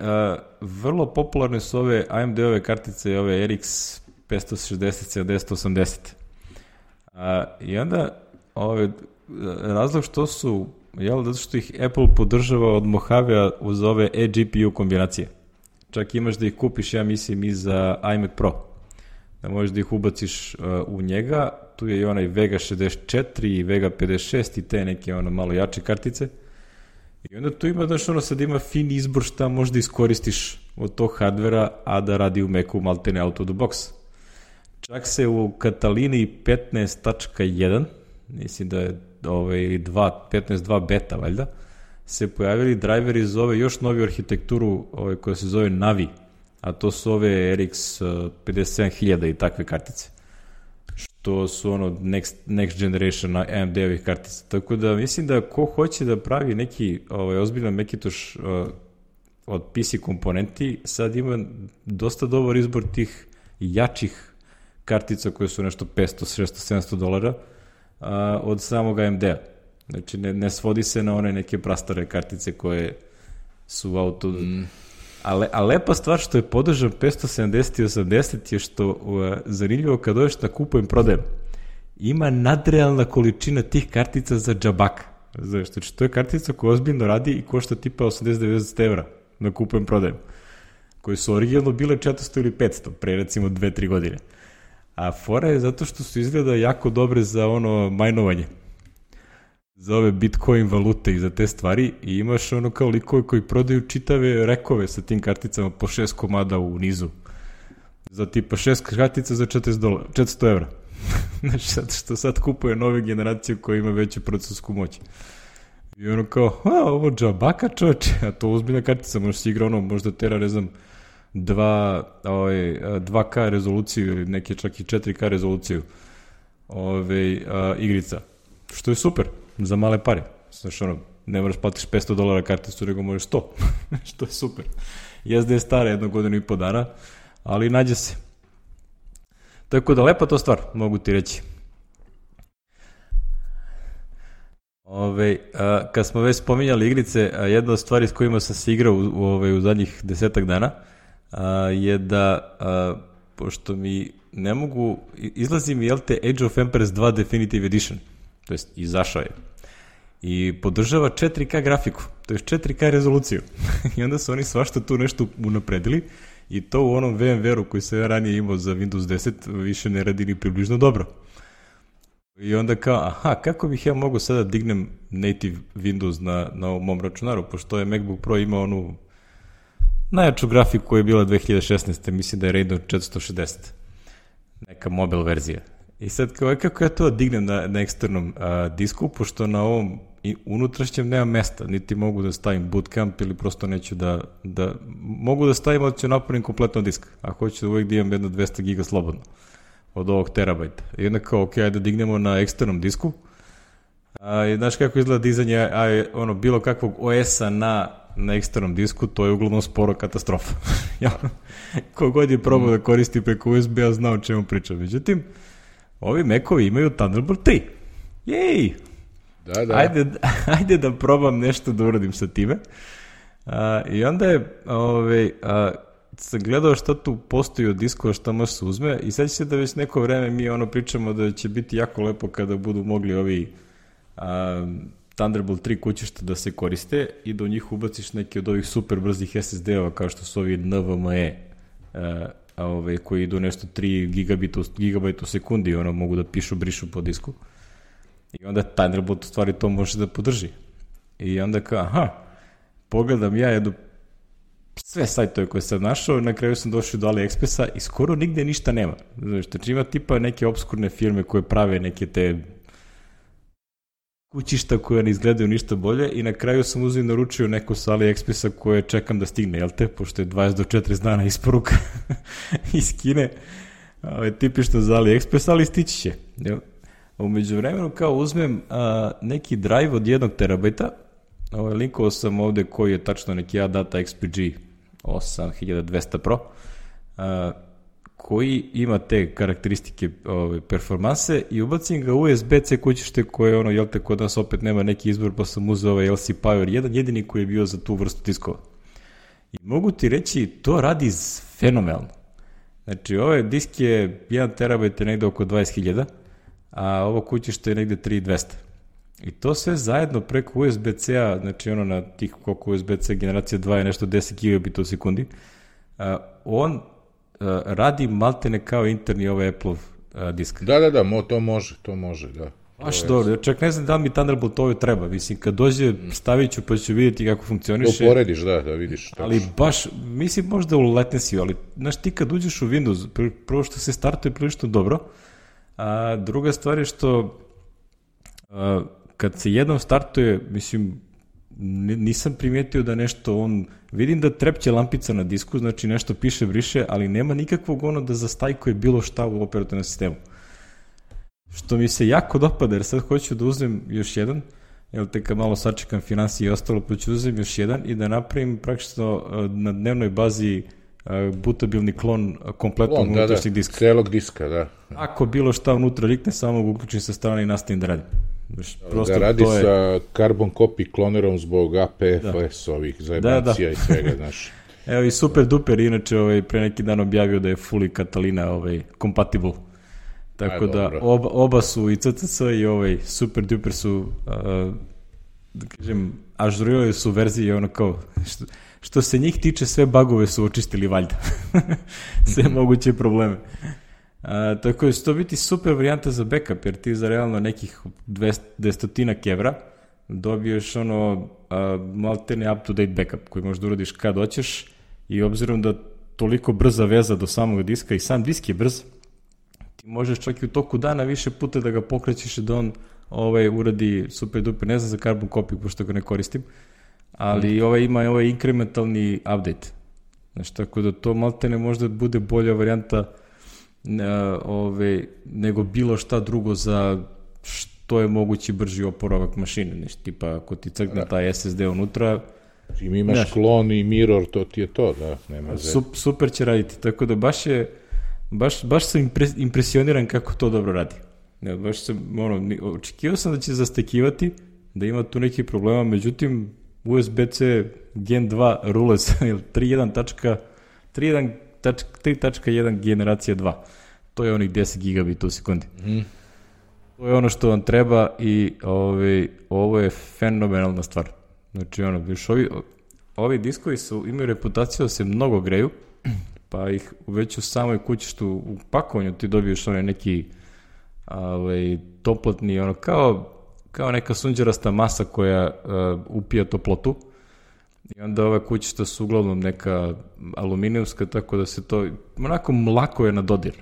vrlo popularne su ove AMD-ove kartice, ove RX 560, 7080. I onda razlog što su, zato što ih Apple podržava od Mojave uz ove eGPU kombinacije. Čak imaš da ih kupiš, ja mislim, i za iMac Pro. Da možeš da ih ubaciš u njega. Tu je i onaj Vega 64 i Vega 56 i te neke malo jače kartice. I onda tu ima, znaš, ono sad ima fin izbor šta možda iskoristiš od tog hardvera, a da radi u Macu maltene out of the box. Čak se u Catalini 15.1, mislim da je 15.2 beta, valjda, se pojavili driveri za ove još noviju arhitekturu koja se zove Navi, a to su ove RX 57000 i takve kartice. Što su ono next generation AMD-ovih kartica. Tako da mislim da ko hoće da pravi neki ozbiljan Macintosh od PC komponenti, sad ima dosta dobar izbor tih jačih kartica koje su nešto 500, 600, $700 od samog AMD-a. Znači ne svodi se na one neke prastare kartice koje su auto... A lepa stvar što je podržan 570 i 80 je što zanimljivo kad dođeš na kupujem prodajem. Ima nadrealna količina tih kartica za džabaka. Znači to je kartica koja ozbiljno radi i košta tipa 80-90 evra na kupujem prodajem. Koje su originalno bile 400 ili 500 pre recimo 2-3 godine. A fora je zato što su izgleda jako dobre za ono majnovanje. Za ove Bitcoin valute i za te stvari i imaš ono kao likove koji prodaju čitave rekove sa tim karticama po 6 komada u nizu. Za tipa 6 kartica za $400 evra. Znači, zato što sad kupuje nove generacije koje ima veću procesorsku moć. I ono kao, ovo džabaka čoveče, a to uzbiljna kartica, možeš si igra ono, možda tera, ne znam, 2K rezoluciju ili neke čak i 4K rezoluciju igrica. Što je super. Za male pare. Znaš, ono, ne moraš platiš $500 karticu, nego možeš 100. Što je super. Jezda je stara 1 godinu i po dana, ali nađe se. Tako da lepa to stvar, mogu ti reći. Kad smo već spominjali igrice, jedna od stvari s kojima sam se igrao u zadnjih 10 dana je da, pošto mi ne mogu, izlazi mi, Age of Empires 2 Definitive Edition, to jest izašao je. I podržava 4K grafiku, to je 4K rezoluciju. I onda su oni svašta tu nešto unapredili i to u onom VMware-u koji se ja ranije imao za Windows 10 više ne radi ni približno dobro. I onda kao, kako bih ja mogu sada dignem native Windows na ovom mom računaru, pošto je MacBook Pro imao onu najjaču grafiku koja je bila 2016. Mislim da je Radeon 460. Neka mobile verzija. I sad kako ja to dignem na eksternom disku, pošto na ovom unutrašnjem nema mesta, niti mogu da stavim bootcamp ili prosto neću da mogu da stavim, ali ću napunim kompletno disk, a hoću da uvijek da imam jedno 200 giga slobodno od ovog terabajta. I onda kao, ajde da dignemo na eksternom disku. I znaš kako izgleda dizanje bilo kakvog OS-a na eksternom disku, to je uglavnom sporo katastrofa. Kogod je probao da koristi preko USB-a zna o čemu pričam. Međutim, ovi Macovi imaju Thunderbolt 3. Jej! Da. Ajde da probam nešto da uradim sa time. I onda je sam gledao šta tu postoji od diskova, šta može se uzme i sad će se da već neko vreme mi pričamo da će biti jako lepo kada budu mogli ovi Thunderbolt 3 kućišta da se koriste i da u njih ubaciš neke od ovih super brzih SSD-ova kao što su ovi NVMe koji idu nešto 3 gigabajta u sekundi, mogu da brišu po disku. I onda Thunderbolt u stvari to može da podrži. I onda kao, pogledam ja jednu sve sajtove koje sam našao, na kraju sam došao do AliExpressa i skoro nigde ništa nema. Znači ima tipa neke obskurne firme koje prave neke te kućišta koje ne izgledaju ništa bolje i na kraju sam uzeo i naručio neko sa AliExpressa koje čekam da stigne, jel te? Pošto je 20 do 40 dana isporuka iz Kine. Tipično za AliExpress, ali stići će. Umeđu vremenu kao uzmem neki drive od 1 terabajta, linkovao sam ovde koji je tačno neki ADATA XPG 8200 Pro, koji ima te karakteristike performanse i ubacim ga u USB-C kućište koje jel te, kod nas opet nema neki izbor, pa sam uzeo ovaj LC Power 1, jedini koji je bio za tu vrstu diskova. I mogu ti reći, to radi fenomenalno. Znači, ovaj disk je 1 terabajt je negde oko 20.000, a ovo kućište je negde 3200. I to sve zajedno preko USB-C-a, znači na tih koliko USB-C generacija 2 je nešto 10 gigabita u sekundi, on radi maltene kao interni ovaj Apple disk. Da, to može, da. Baš dobro, čak ne znam da li mi Thunderbolt ovo treba, mislim, kad dođe stavit ću pa ću vidjeti kako funkcioniše. To porediš, da vidiš. Ali baš, mislim možda u latency, ali znaš ti kad uđeš u Windows, prvo što se startuje prilično dobro, a druga stvar je što kad se jednom startuje, mislim, nisam primijetio da nešto vidim da trepće lampica na disku, znači nešto piše, briše, ali nema nikakvog da zastajkuje bilo šta u operativnom sistemu. Što mi se jako dopada, jer sad hoću da uzmem još jedan, jer te kad malo sačekam finansije i ostalo, pa ću uzem još jedan i da napravim praktično na dnevnoj bazi butabilni klon kompletnog unutrašnjeg diska. Celog diska, da. Ako bilo šta unutra rikne, samo ga uključim sa strane i nastavim da radim. Da radi sa carbon copy klonerom zbog APFS ovih zajebancija i svega, znaš. Evo i super duper, inače pre neki dan objavio da je fully Catalina compatible. Tako da oba su i CCC i super duper su, da kažem, ažurirali su verzije kao, što se njih tiče, sve bugove su očistili valjda. Sve moguće probleme. Tako da će to biti super varijanta za backup, jer ti za realno nekih 200 evra dobiješ maltene up-to-date backup koji možeš da uradiš kad hoćeš i obzirom da toliko brza veza do samog diska i sam disk je brz, ti možeš čak i u toku dana više puta da ga pokrećeš i da on uradi super duper, ne znam za carbon copy pošto ga ne koristim, ali ima inkrementalni update. Znači, tako da to maltene možda bude bolja varijanta nego bilo šta drugo za što je mogući brži oporavak mašine. Znači, tipa, ako ti crkne taj SSD unutra... Čim imaš klon i mirror, to ti je to, da, nema super će raditi, tako da baš sam impresioniran kako to dobro radi. Baš sam, očekivao sam da će zastekivati, da ima tu neki problema, međutim, USB-C Gen 2 rule sa 3.1 generacija 2. To je onih 10 gigabita u sekundi. To je ono što vam treba i ovo je fenomenalna stvar. Znači, ovi diskovi imaju reputaciju da se mnogo greju, pa ih već u samoj kući što u pakovanju ti dobiješ neki toplotni, kao neka sunđerasta masa koja upija toplotu i onda ove kućišta su uglavnom neka aluminijumska, tako da se to onako lako je na dodir,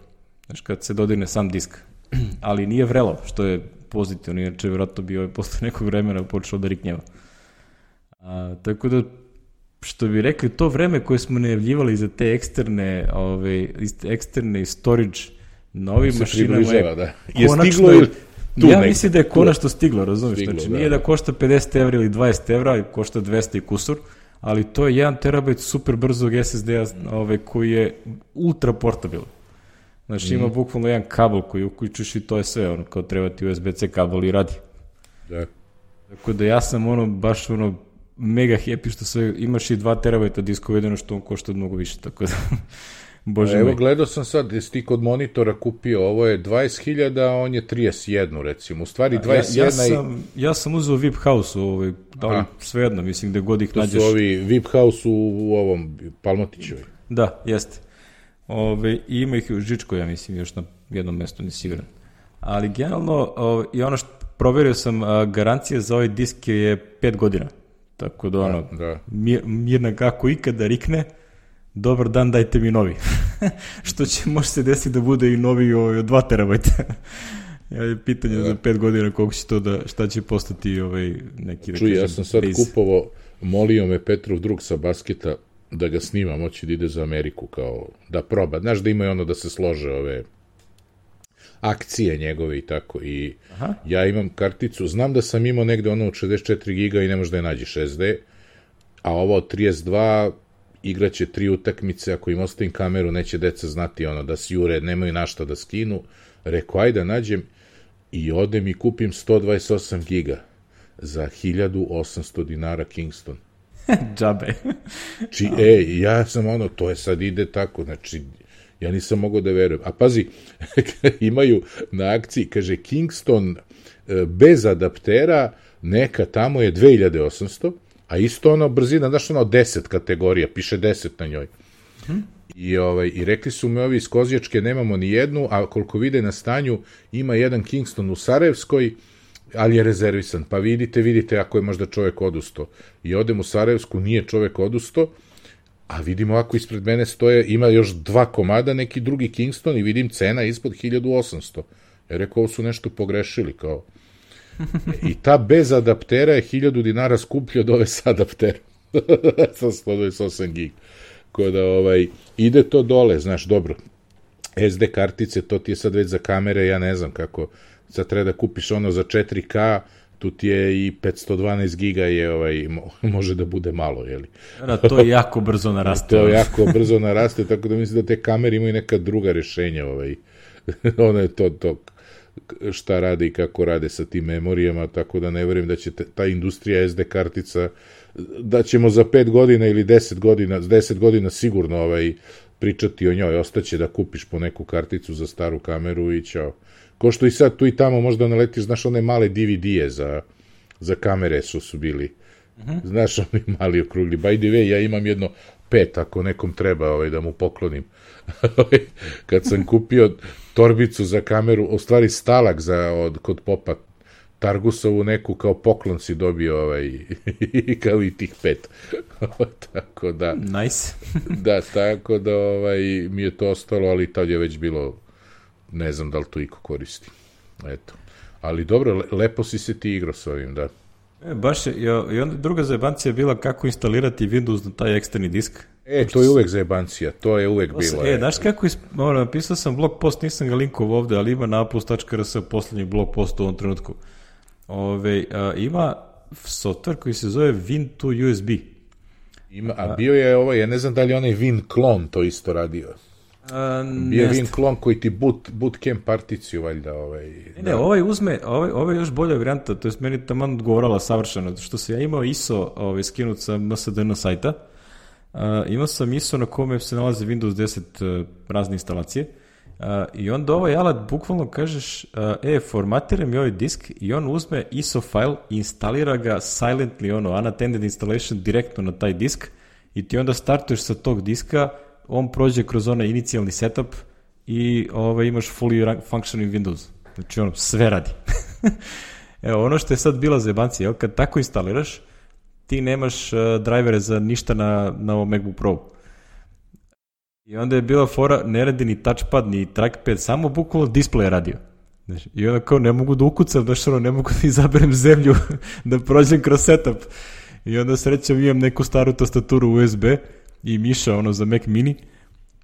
znači kad se dodirne sam disk, ali nije vrelo, što je pozitivno, inače vjerojatno bi posle nekog vremena počeo da riknjeva. Tako da, što bi rekli, to vreme koje smo najavljivali za te eksterne storage na ovim mašinama je konačno, ja mislim da je konačno stiglo, razumiješ, znači nije da košta 50 evra ili 20 evra, košta 200 i kusur, ali to je 1 terabajt super brzog SSD-a koji je ultra portabilan. Znači ima bukvalno jedan kabel koji uključuješ i to je sve, kao treba ti USB-C kabel i radi. Da. Tako da ja sam baš mega happy što sve, imaš i 2 terabajta diska uvedeno što on košta mnogo više, tako da, bože moj. Evo, gledao sam sad, jesi ti kod monitora kupio, ovo je 20.000, a on je 31, recimo, u stvari 21 Ja sam uzeo VIP House, ali svejedno, mislim, gde god ih nađeš. To su ovi VIP House u ovom Palmotićevoj. Da, jeste. I ima ih u Žičko, ja mislim, još na jednom mestu, nisi siguran. Ali generalno, i ono što proverio sam, garancija za ovaj disk je 5 godina. Tako da mirna kako ikada rikne, dobar dan, dajte mi novi. Što će može se desiti da bude i novi od 2 terabajta. Pitanje za 5 godina koliko će to šta će postati neki... Čuj, ja sam sad kupovao, molio me Petrov drug sa basketa da ga snima, moći da ide za Ameriku, kao da proba. Znaš da imaju da se slože ove akcije njegove i tako. I ja imam karticu, znam da sam imao negde od 64 giga i ne možda je nađeš SD, a ovo od 32 igraće 3 utakmice, ako im ostavim kameru neće deca znati da si jure, nemaju našta da skinu. Rekao, ajde nađem i odem i kupim 128 giga za 1800 dinara Kingston. Džabe. Ja sam to je sad ide tako, znači ja nisam mogao da verujem. A pazi, imaju na akciji, kaže Kingston bez adaptera, neka tamo je 2800, a isto brzina, znaš od 10 kategorija, piše 10 na njoj. I rekli su mi ovi iz Kozjačke nemamo ni jednu, a koliko vide na stanju ima jedan Kingston u Sarajevskoj, ali je rezervisan. Pa vidite ako je možda čovek odustao. I odem u Sarajevsku, nije čovek odustao, a vidim ovako ispred mene stoje, ima još 2 komada, neki drugi Kingston i vidim cena ispod 1800. Ja rekao, ovo su nešto pogrešili, kao. I ta bez adaptera je 1000 dinara skuplja od ove s adapterom. Sa 128 gig. Ko da ide to dole, znaš, dobro. SD kartice, to ti je sad već za kamere, ja ne znam kako, sad treba da kupiš ono za 4K, tu ti je i 512 giga je, može da bude malo, jeli? Da, to je jako brzo naraste. To je jako brzo naraste, tako da mislim da te kamere imaju neka druga rešenja, ono je to šta rade i kako rade sa tim memorijama, tako da ne verujem da će ta industrija SD kartica, da ćemo za 5 godina ili 10 godina sigurno pričati o njoj, ostaće da kupiš po neku karticu za staru kameru i ćao. Ko što i sad tu i tamo možda naletiš, znaš, one male DVD-e za kamere su bili. Znaš, oni mali okrugli. By the way, ja imam jedno 5, ako nekom treba da mu poklonim. Kad sam kupio torbicu za kameru, u stvari stalak kod popa, Targusovu neku kao poklon si dobio kao i tih 5. Tako da... Nice. Da, tako da mi je to ostalo, ali tad je već bilo, ne znam da li to iko koristi. Eto. Ali dobro, lepo si se ti igrao s ovim, da. Baš je, i onda druga zajebancija je bila kako instalirati Windows na taj eksterni disk. To je uvek zajebancija, to je uvek bilo. Znaš kako, napisao sam blog post, nisam ga linkovao ovde, ali ima na apples.rs poslednji blog post u ovom trenutku. Ima software koji se zove Win2 USB. A bio je ja ne znam da li onaj WinClone to isto radio. Bio je WinClone koji ti bootcamp particiju valjda. Ne, ovaj još bolja varijanta, to je meni taman odgovorala savršeno, što se ja imao ISO skinut sa MSDN sajta, imao sam ISO na kome se nalazi Windows 10 razne instalacije, i onda ovaj alat bukvalno kažeš formatiraj mi ovaj disk i on uzme ISO file i instalira ga silently, unattended installation direktno na taj disk i ti onda startuješ sa tog diska, on prođe kroz onaj inicijalni setup i imaš fully functioning Windows. Znači sve radi. Evo, ono što je sad bila zajebancija, kad tako instaliraš, ti nemaš drivere za ništa na ovom MacBook Pro. I onda je bila fora, ne radi ni touchpad, ni trackpad, samo bukvalno display je radio. I onda kao ne mogu da ukucam, ne mogu da izaberem zemlju, da prođem kroz setup. I onda srećom imam neku staru tastaturu USB i miša za Mac mini,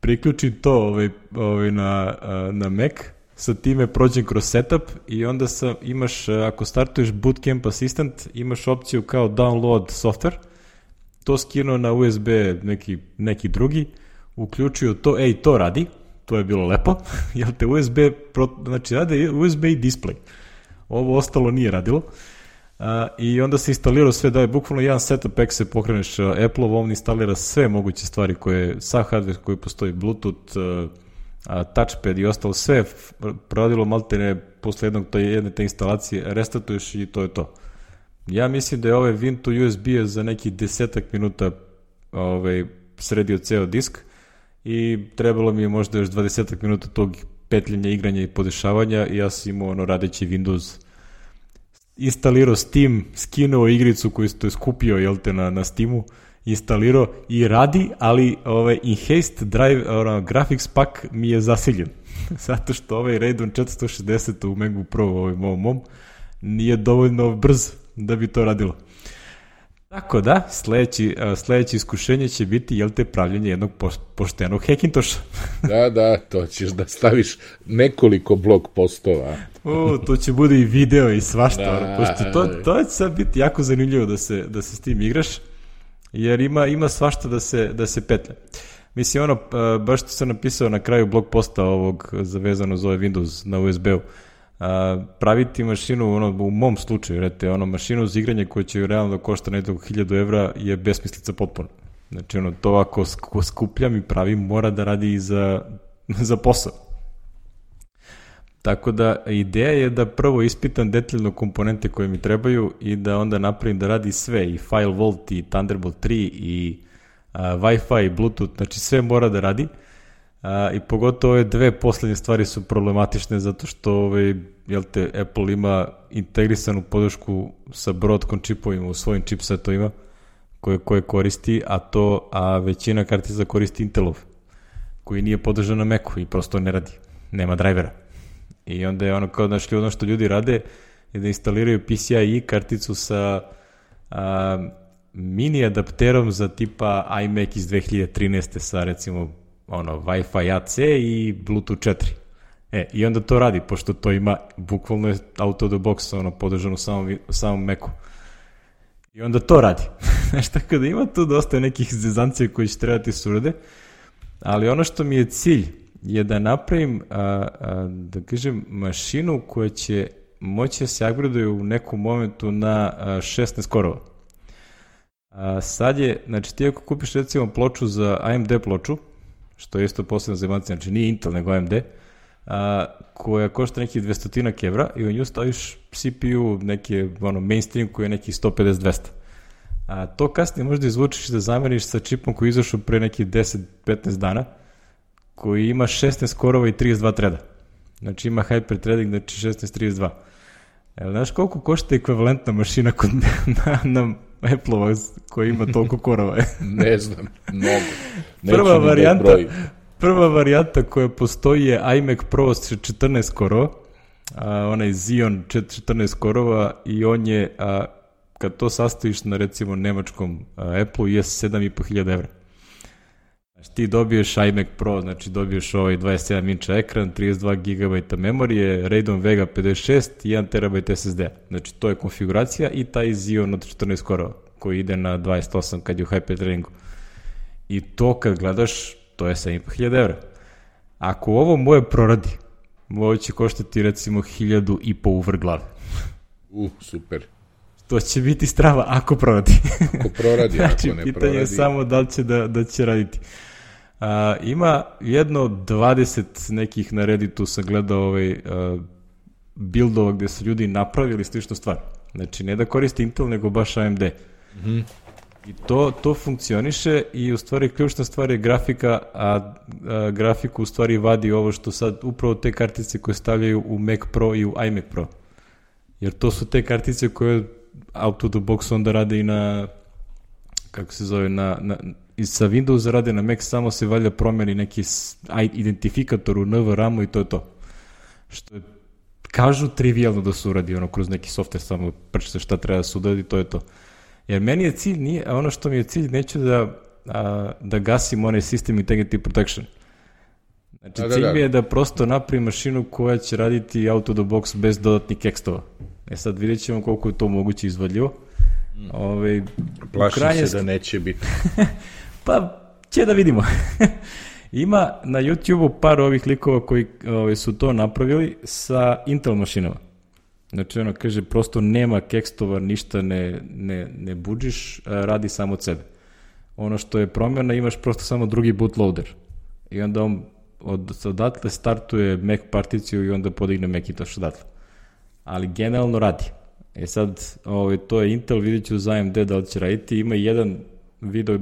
priključim to na Mac, sa time prođem kroz setup i onda imaš, ako startuješ Bootcamp Assistant, imaš opciju kao download software, to skinuo na USB neki drugi, uključio to, to radi, to je bilo lepo, jer te USB, znači rade USB i display, ovo ostalo nije radilo, i onda se instalirao sve, da je bukvalno jedan setup pack se pokreneš Apple-ov, on instalira sve moguće stvari koje, sa hardware koji postoji, Bluetooth, touchpad i ostalo, sve proradilo maltene posle jedne te instalacije, restartuješ i to je to. Ja mislim da je ovaj Win2 USB za nekih 10 minuta sredio ceo disk i trebalo mi je možda još 20 minuta tog petljanja, igranja i podešavanja i ja sam imao radeći Windows, instalirao Steam, skinuo igricu koju je skupio na Steamu, instalirao i radi, ali Enhanced Drive Graphics Pack mi je zasiljen. Zato što Radeon 460 u MacBook Pro mom nije dovoljno brz da bi to radilo. Tako da, sledeće iskušenje će biti, pravljenje jednog poštenog Hackintoša. Da, to ćeš da staviš nekoliko blog postova. To će bude i video i svašta, pošto to će sad biti jako zanimljivo da se s tim igraš, jer ima svašta da se petlja. Mislim, baš što sam napisao na kraju blog posta ovog zavezano za ovaj Windows na USB-u, praviti mašinu, u mom slučaju, mašinu za igranje koja će realno da košta nekako 1000 evra je besmislica potpuno. Znači, to ako skupljam i pravim, mora da radi i za posao. Tako da, ideja je da prvo ispitam detaljno komponente koje mi trebaju i da onda napravim da radi sve, i FileVault, i Thunderbolt 3, i Wi-Fi, i Bluetooth, znači sve mora da radi. I pogotovo ove dve poslednje stvari su problematične zato što Apple ima integrisanu podršku sa Broadcom čipovima u svojim chipsetovima koje koristi, a većina kartica koristi Intelov, koji nije podržan na Macu i prosto ne radi, nema drivera. I onda je ono što ljudi rade je da instaliraju PCIe karticu sa mini adapterom za tipa iMac iz 2013. sa recimo Wi-Fi AC i Bluetooth 4. I onda to radi, pošto to ima bukvalno je out of the box podržano samom Macu. I onda to radi. Znaš, tako da ima tu dosta nekih zezancija koji će trebati surade, ali ono što mi je cilj je da napravim, da kažem, mašinu koja će moći da se upgraduje u nekom momentu na 16 korova. Sad je, znači ti ako kupiš recimo ploču za AMD ploču, što je isto posebno zajebanacija, znači nije Intel nego AMD, koja košta nekih 200 evra i u nju staviš CPU neke mainstream koji je nekih 150-200. To kasnije možda izvučiš da zameniš sa čipom koji je izašao pre nekih 10-15 dana, koji ima 16 korova i 32 treda. Znači ima hyper-threading, znači 16-32. Znaš koliko košta ekvivalentna mašina na Apple-ova koja ima toliko korova? Ne znam, mnogo. Prva varijanta koja postoji je iMac Pro sa 14 korova, onaj Xeon 14 korova i on je, kad to sastaviš na recimo nemačkom Apple-u, je 7.500 evra. Znači ti dobiješ iMac Pro, znači dobiješ ovaj 27 inča ekran, 32 GB memorije, Radeon Vega 56 i 1 TB SSD. Znači to je konfiguracija i taj Xeon od 14 korova koji ide na 28 kad je u hyper-threadingu. I to kad gledaš, to je 7.500 evra. Ako ovo moje proradi, ovo će koštati recimo 1.500 u vrh glave. Super. To će biti strava ako proradi. Ako proradi, znači, ako ne proradi. Pitanje je samo da li će da će raditi. Ima jedno 20 nekih na Redditu sam gledao buildova gde su ljudi napravili sličnu stvar. Znači ne da koristi Intel nego baš AMD. I to funkcioniše i u stvari ključna stvar je grafika, a grafiku u stvari vadi ovo što sad upravo te kartice koje stavljaju u Mac Pro i u iMac Pro. Jer to su te kartice koje out of the box onda rade i na, kako se zove, i sa Windowsa rade na Mac, samo se valjda promeni neki identifikator u NVRAM-u i to je to. Što je, kažu, trivialno da se uradi, kroz neki software, samo prčite šta treba da se uradi, to je to. Jer meni je cilj, ono što mi je cilj, neću da gasim onaj System Integrity Protection. Znači, cilj mi je da prosto napravim mašinu koja će raditi out of the box bez dodatnih ekstova. Sad vidjet ćemo koliko je to moguće izvodljivo. Plašim se da neće biti. Pa, će da vidimo. Ima na YouTube-u par ovih likova koji su to napravili sa Intel mašinama. Znači, kaže, prosto nema kekstova, ništa ne budžiš, radi samo od sebe. Ono što je promjena, imaš prosto samo drugi bootloader. I onda on odatle startuje Mac particiju i onda podigne Macintosh odatle. Ali generalno radi. Sad, to je Intel, vidjet ću za AMD da li će raditi. Ima jedan video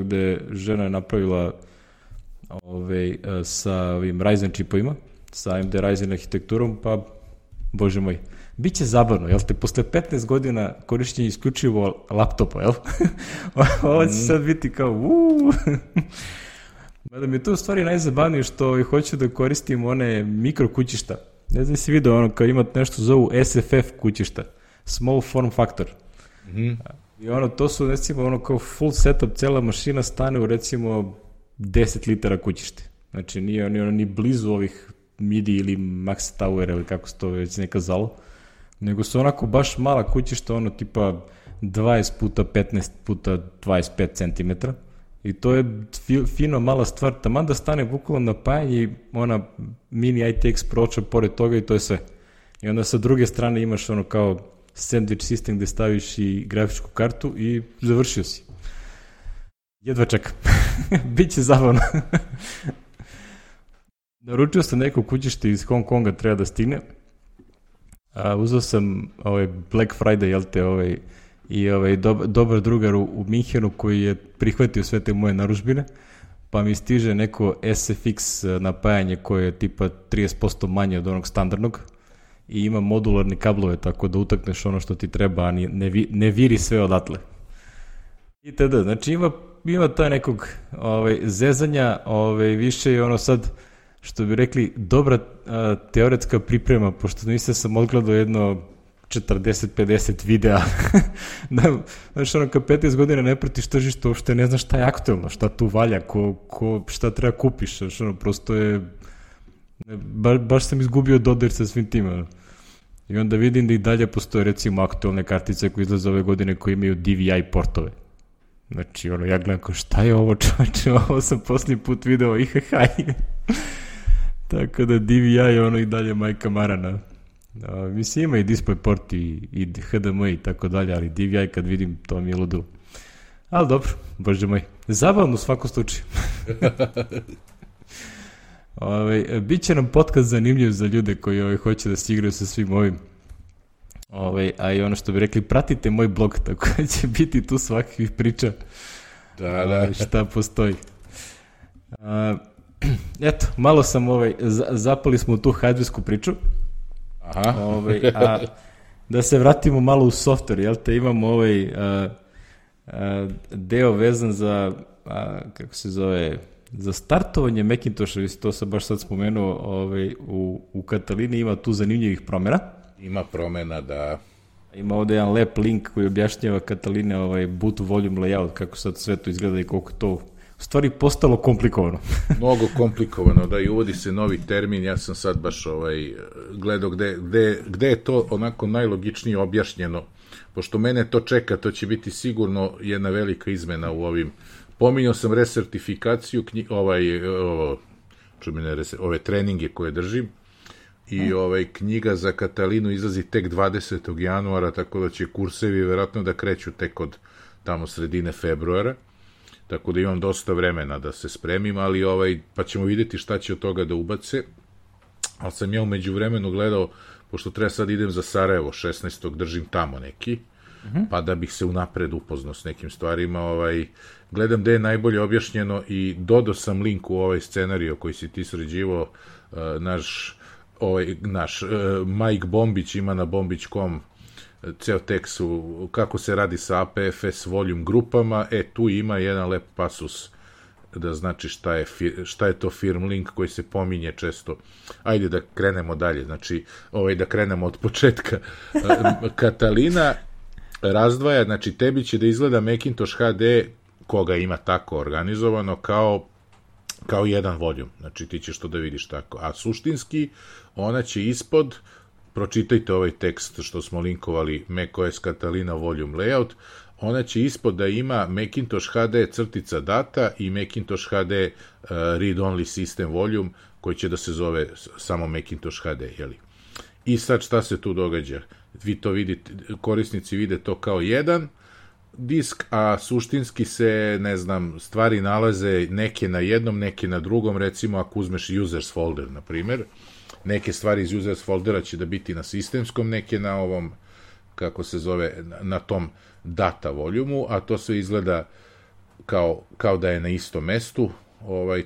gde je žena napravila sa ovim Ryzen čipovima, sa AMD Ryzen arhitekturom, pa, bože moj, biće zabavno, jel te, posle 15 godina korišćenja isključivo laptopa, jel? Ovo će sad biti kao, Mada mi je to u stvari najzabavnije što hoću da koristim one mikro kućišta. Ne znam si vidio, kao imate nešto zovu SFF kućišta, Small Form Factor. I to su recimo kao full setup, cela mašina stane u recimo 10 litara kućište. Znači nije ni blizu ovih MIDI ili Max Tower ili kako se to već neka zalo, nego su onako baš mala kućišta, tipa 20 puta 15 puta 25 cm. I to je fino mala stvar, taman da stane bukvalno napajanje i ona mini ITX proča pored toga i to je sve. I onda sa druge strane imaš kao sandwich sistem gde staviš i grafičku kartu i završio si. Jedva čekam. Biće zabavno. Naručio sam neko kućište iz Hong Konga, treba da stigne. Uzeo sam Black Friday, jel te, i dobar drugar u Minhenu koji je prihvatio sve te moje narudžbine, pa mi stiže neko SFX napajanje koje je tipa 30% manje od onog standardnog i ima modularne kablove, tako da utakneš ono što ti treba, a ne viri sve odatle. I tada, znači ima taj nekog zezanja, više je ono sad, što bi rekli, dobra teoretska priprema, pošto nisam sam odgledao jedno 40-50 videa. Znaš, ono, kad 15 godina ne pratiš tržište, uopšte ne znaš šta je aktuelno, šta tu valja, šta treba kupiš. Znaš, ono, prosto je... Baš sam izgubio dodir sa svim tim. I onda vidim da i dalje postoje, recimo, aktuelne kartice koje izlaze ove godine koje imaju DVI portove. Znači, ono, ja gledam kao, šta je ovo, čovječe, ovo sam posljednji put video, Tako da DVI je ono i dalje majka marana. Mislim, ima i DisplayPort i HDMI i tako dalje, ali DVI kad vidim, to mi je ludilo. Ali dobro, bože moj. Zabavno u svakom slučaju. Biće nam podcast zanimljiv za ljude koji hoće da se igraju sa svim ovim. A i ono što bi rekli, pratite moj blog, tako da će biti tu svakih priča. Da. Šta postoji. Eto, malo sam zapali smo u tu hardwaresku priču. Aha. A da se vratimo malo u software, jel te, imamo deo vezan za kako se zove, za startovanje Macintosha, to sam baš sad spomenuo, u Katalini ima tu zanimljivih promjena. Ima promjena, da. Ima ovde jedan lep link koji objašnjava Kataline boot volume layout, kako sad sve to izgleda i koliko to u stvari postalo komplikovano. Mnogo komplikovano, da, i uvodi se novi termin, ja sam sad baš gledao gde je to onako najlogičnije objašnjeno, pošto mene to čeka, to će biti sigurno jedna velika izmena u ovim. Pominjao sam resertifikaciju, ove treninge koje držim, i knjiga za Katalinu izlazi tek 20. januara, tako da će kursevi verovatno da kreću tek od tamo sredine februara. Tako da imam dosta vremena da se spremim, ali pa ćemo vidjeti šta će od toga da ubace. Ali sam ja u međuvremenu gledao, pošto treba sad idem za Sarajevo, 16. držim tamo neki, pa da bih se unapred upoznao s nekim stvarima, gledam gde je najbolje objašnjeno i dodao sam link u ovaj scenario koji si ti sređivao, naš Mike Bombić ima na bombić.com ceo tekst kako se radi sa APFS volume grupama, tu ima jedan lep pasus da znači šta je to firm link koji se pominje često. Ajde da krenemo dalje, znači da krenemo od početka. Katalina razdvaja, znači tebi će da izgleda Macintosh HD, koga ima tako organizovano, kao jedan volume, znači ti ćeš to da vidiš tako, a suštinski ona će ispod, pročitajte ovaj tekst što smo linkovali, macOS Catalina volume layout, ona će ispod da ima Macintosh HD crtica data i Macintosh HD read-only system volume, koji će da se zove samo Macintosh HD, jeli? I sad šta se tu događa? Vi to vidite, korisnici vide to kao jedan disk, a suštinski se, ne znam, stvari nalaze neke na jednom, neke na drugom, recimo ako uzmeš users folder, na primer, neke stvari iz users foldera će da biti na sistemskom, neke na ovom, kako se zove, na tom data voljumu, a to sve izgleda kao da je na istom mestu,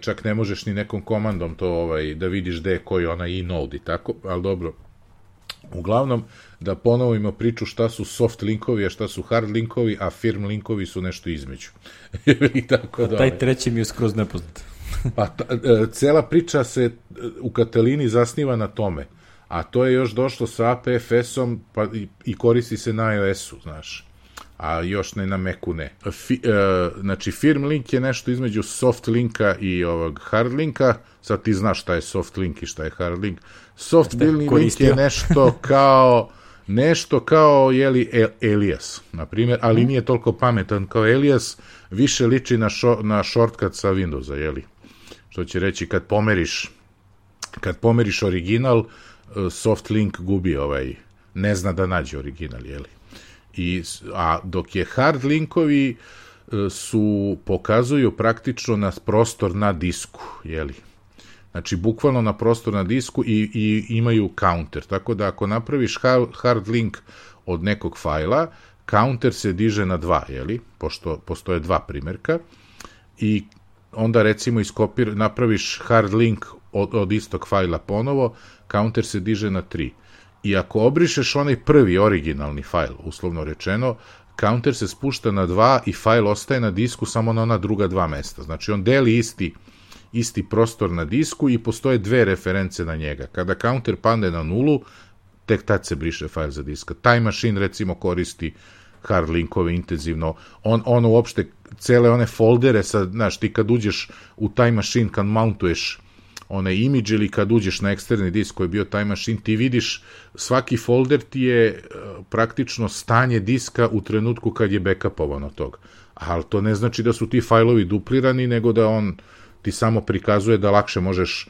čak ne možeš ni nekom komandom to da vidiš gde je koji onaj inode i tako, ali dobro. Uglavnom, da ponovimo priču šta su soft linkovi, a šta su hard linkovi, a firm linkovi su nešto između. Tako da, taj treći mi je skroz nepoznat. Pa cela priča se u Katalini zasniva na tome, a to je još došlo sa APFS-om i koristi se na iOS-u, znaš, a još ne na Macu ne. Znači, firm link je nešto između soft linka i ovog hard linka, sad ti znaš šta je soft link i šta je hard link. Soft link je nešto kao Elias, na primjer, ali nije toliko pametan kao Elias, više liči na shortcut sa Windowsa, jeli? Što će reći, kad pomeriš original, soft link gubi ne zna da nađe original, jeli? A dok je hard linkovi pokazuju praktično na prostor na disku, jeli? Znači, bukvalno na prostor na disku i imaju counter, tako da ako napraviš hard link od nekog fajla, counter se diže na 2, jeli? Pošto postoje 2 primerka, i onda recimo napraviš hard link od istog fajla ponovo, counter se diže na 3. I ako obrišeš onaj prvi originalni fajl, uslovno rečeno, counter se spušta na 2 i fajl ostaje na disku samo na ona druga 2 mesta. Znači on deli isti prostor na disku i postoje 2 reference na njega. Kada counter padne na 0, tek tad se briše fajl za diska. Time Machine recimo koristi hard linkove intenzivno. On uopšte cele one foldere, znaš, ti kad uđeš u Time Machine, kad mountuješ onaj imidž ili kad uđeš na eksterni disk koji je bio Time Machine, ti vidiš svaki folder ti je praktično stanje diska u trenutku kad je backupovan od toga. Ali to ne znači da su ti fajlovi duplirani, nego da on ti samo prikazuje da lakše možeš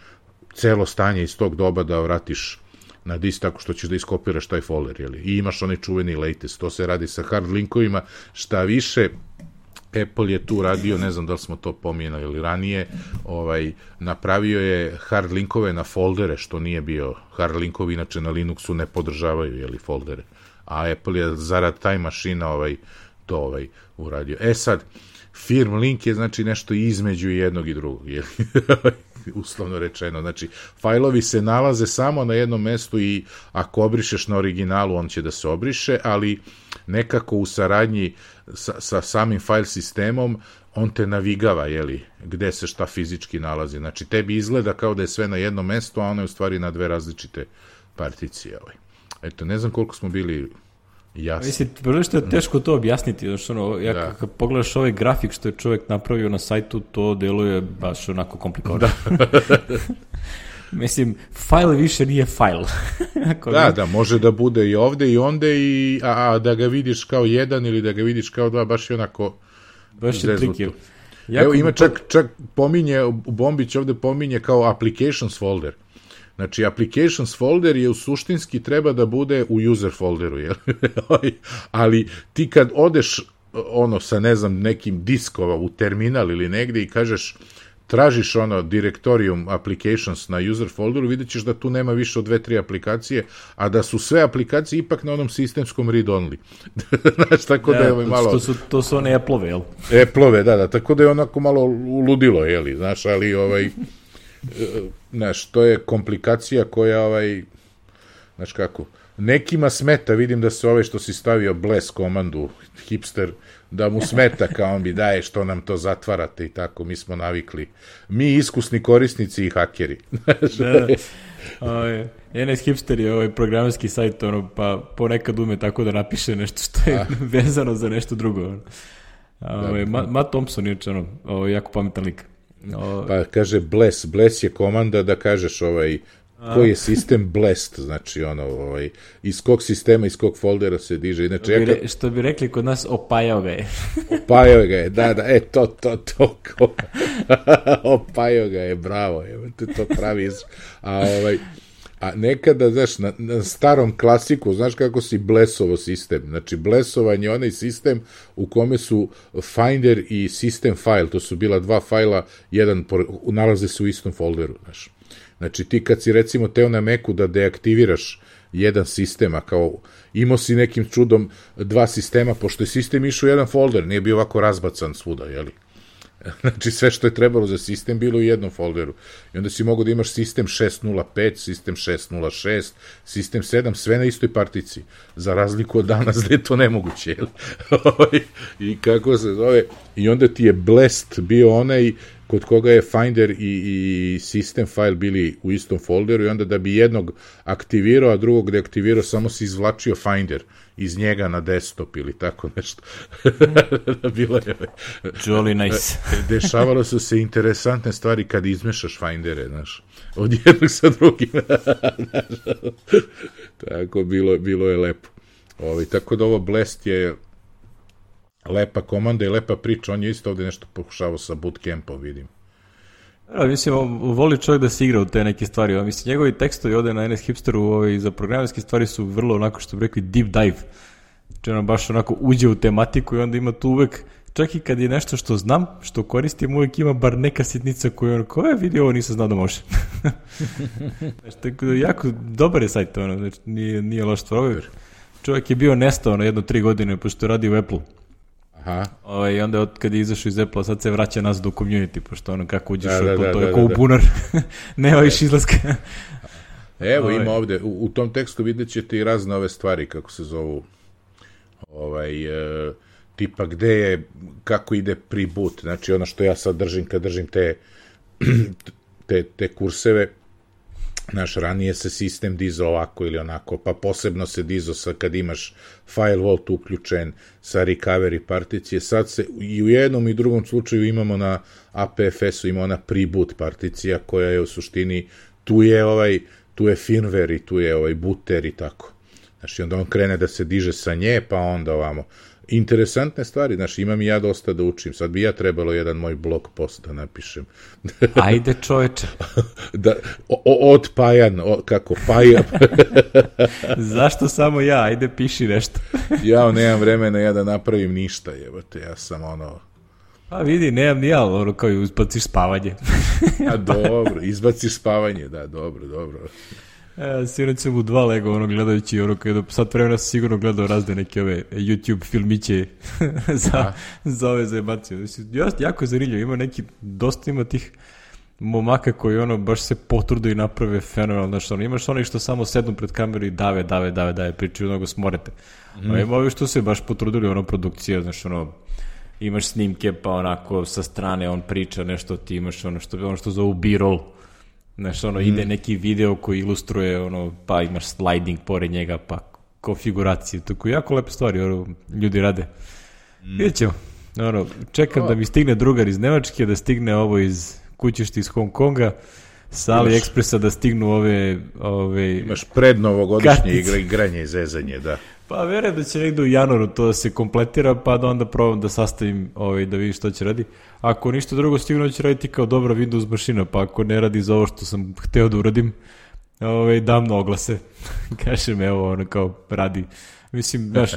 celo stanje iz tog doba da vratiš na disk tako što ćeš da iskopiraš taj folder, jeli? I imaš onaj čuveni latest, to se radi sa hard linkovima, šta više, Apple je tu radio, ne znam da li smo to pominjali ili ranije, napravio je hard linkove na foldere, što nije bio, hard linkovi inače na Linuxu ne podržavaju, jeli, foldere, a Apple je zarad Time Machine to uradio. Sad, firm link je znači nešto između jednog i drugog, jeli? Uslovno rečeno, znači fajlovi se nalaze samo na jednom mestu i ako obrišeš na originalu on će da se obriše, ali nekako u saradnji sa samim file sistemom on te navigava, jeli, gde se šta fizički nalazi, znači tebi izgleda kao da je sve na jednom mestu, a ono je u stvari na 2 različite particije. Eto, ne znam koliko smo bili jasni. Mislim, prvo što je teško to objasniti, znači kad pogledaš ovaj grafik što je čovjek napravio na sajtu, to deluje baš onako komplikovano. Mislim, fajl više nije fajl. Da, može da bude i ovde i onde, a da ga vidiš kao 1 ili da ga vidiš kao 2, baš je onako zeznuto. Evo, ima čak pominje, Bombić ovde pominje kao applications folder. Znači, applications folder je u suštinski treba da bude u user folderu, jel? Ali ti kad odeš sa, ne znam, nekim diskova u terminal ili negde i kažeš, tražiš directorium applications na user folderu, vidjet ćeš da tu nema više od 2-3 aplikacije, a da su sve aplikacije ipak na onom sistemskom read-only. Znači, tako da je malo... To su one Apple-ove, jel? Apple-ove, da, tako da je onako malo uludilo, jeli, znaš, ali znaš, to je komplikacija koja, znaš kako, nekima smeta, vidim da se što si stavio bless komandu, hipster, da mu smeta kao on bi daje što nam to zatvarate i tako, mi smo navikli. Mi iskusni korisnici i hakeri. NS Hipster je programerski sajt, pa ponekad ume tako da napiše nešto što je vezano za nešto drugo. Matt Thompson je jako pametan lik. Pa kaže bless je komanda da kažeš koji je sistem blessed, znači iz kog sistema, iz kog foldera se diže. Inače, što bi rekli kod nas, opajao ga je. Opajao ga je, da, to. Opajao ga je, bravo, to pravi. A nekada, znaš, na starom klasiku, znaš kako si blessovo sistem, znači blessovan je onaj sistem u kome su Finder i System file, to su bila 2 fajla, jedan nalaze se u istom folderu, znaš. Znači ti kad si recimo teo na Macu da deaktiviraš jedan sistem, a kao imao si nekim čudom 2 sistema, pošto je sistem išao u jedan folder, nije bio ovako razbacan svuda, jeli? Znači sve što je trebalo za sistem bilo u jednom folderu. I onda si mogao da imaš sistem 6.0.5, sistem 6.0.6, sistem 7, sve na istoj partici. Za razliku od danas da je to nemoguće. I kako se zove, i onda ti je blessed bio onaj kod koga je Finder i System file bili u istom folderu i onda da bi jednog aktivirao, a drugog deaktivirao, samo si izvlačio Finder iz njega na desktop ili tako nešto. Bilo je... Jolly nice. Dešavalo su se interesantne stvari kad izmešaš Findere, znaš, od jednog sa drugim. Tako, bilo je lepo. Tako da ovo Blast je lepa komanda i lepa priča, on je isto ovde nešto pokušavao sa bootcampom, vidim. Mislim, voli čovjek da se igra u te neke stvari. Mislim, njegovi tekstovi ovde na NS Hipsteru za programerske stvari su vrlo onako, što bi rekli, deep dive. Znači, ono baš onako uđe u tematiku i onda ima tu uvek, čak i kad je nešto što znam, što koristim, uvek ima bar neka sitnica koju ono, ko je vidio ovo, nisam znao da može. Znači, tako da jako dobar je sajt, ono, znači, nije loš stvar. Čovjek je bio nestao na 1-3 godine, pošto radi u Apple. I onda kad je izašao iz Apple, sad se vraća nas do community, pošto ono kako uđeš u Apple, to je kao u bunar, nema više izlaska. Evo, ima ovde, u tom tekstu vidjet ćete i razne ove stvari, kako se zovu, tipa gde je, kako ide pre-boot, znači ono što ja sad držim, kad držim te kurseve, naš, ranije se sistem dizao ovako ili onako, pa posebno se dizao kad imaš FileVault uključen sa recovery particije, sad se i u jednom i drugom slučaju imamo na APFS-u, ima ona pre-boot particija koja je u suštini, tu je firmware i tu je booter i tako. Znači, onda on krene da se diže sa nje, pa onda ovamo. Interesantne stvari, znači, imam i ja dosta da učim. Sad bi ja trebalo jedan moj blog post da napišem. Ajde, čoveče. Od Pajan, kako Pajan. Zašto samo ja? Ajde, piši nešto. Ja nemam vremena ja da napravim ništa, jebate, ja sam ono... Pa vidi, nemam ni ja, ono kao i izbaciš spavanje. A dobro, izbaciš spavanje, da, dobro. Sinoć sam u 2 lega, ono, gledajući, ono, kada sad vremena sam sigurno gledao razne neke ove YouTube filmiće za ove zajebacije. Jako je zanimljivo, dosta ima tih momaka koji, ono, baš se potrude i naprave fenomenalno, znači, ono, imaš oni što samo sednu pred kameru i dave, pričaju mnogo smorete. A ima ovi što se baš potrudili, ono, produkcija, znači, ono, imaš snimke, pa onako sa strane on priča nešto, ti imaš ono što zovu B-roll. Znaš, ono, ide neki video koji ilustruje, ono, pa imaš sliding pored njega, pa konfiguracije. Tako jako lepe stvari, ono, ljudi rade. Vidjet ćemo. Ono, čekam da mi stigne drugar iz Nemačke, da stigne ovo iz kućišta iz Hong Konga, sa AliExpressa da stignu ove imaš prednovogodišnje igranje i zezanje, da. Pa verujem da će negde u januaru to da se kompletira, pa da onda probam da sastavim, da vidim što će radi. Ako ništa drugo, sigurno će raditi kao dobra Windows mašina, pa ako ne radi za ovo što sam hteo da uradim, dam na oglase. Kažem, evo, ono kao radi. Mislim, znaš,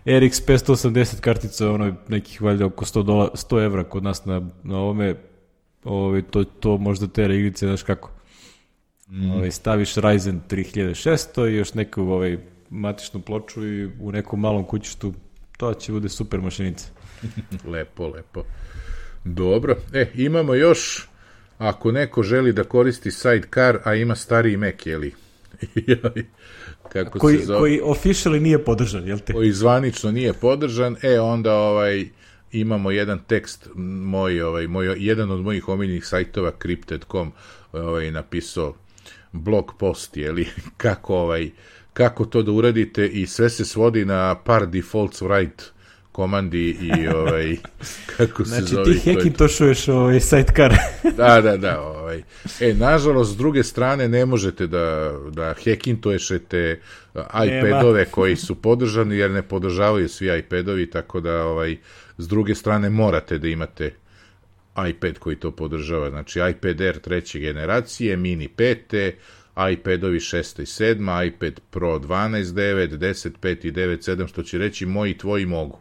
RX 580 kartica, ono, nekih valjda oko $100 kod nas na ovome, to možda tera igrice, znaš kako. Staviš Ryzen 3600 i još neku matičnu ploču i u nekom malom kućištu, to će bude super mašinica. Lepo. Dobro, imamo još, ako neko želi da koristi Sidecar, a ima stariji Mac, jeli? Koji officially nije podržan, jel te? Koji zvanično nije podržan, onda imamo jedan tekst, jedan od mojih omiljenih sajtova, Crypted.com, napisao blog post, jeli, kako to da uradite i sve se svodi na par defaults write komandi i kako se zove. Znači ti hackintošuješ Sidecar. Da. Nažalost, s druge strane ne možete da hackintošete iPadove koji su podržani, jer ne podržavaju svi iPadovi, tako da s druge strane morate da imate iPad koji to podržava. Znači iPad Air 3. generacije, Mini 5. iPadovi 6. i 7. iPad Pro 12.9, 10.5 i 9.7, što će reći moji i tvoji mogu.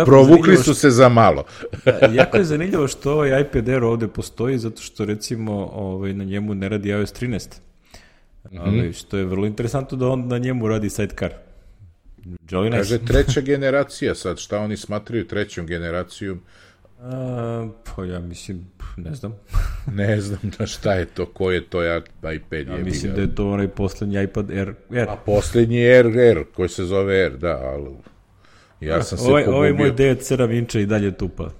Provukli su se za malo. Jako je zanimljivo što ovaj iPad Air ovde postoji, zato što recimo na njemu ne radi iOS 13. Što je vrlo interesantno da on na njemu radi Sidecar. Kaže 3. generacija sad, šta oni smatraju 3. generacijom? Pa ja mislim, ne znam. Ne znam šta je to, ko je to iPad. Ja mislim da je to onaj poslednji iPad Air. A poslednji Air, koji se zove Air, da, ali ja sam se pogubio. Ovo je moj 9.7 inča i dalje tupa.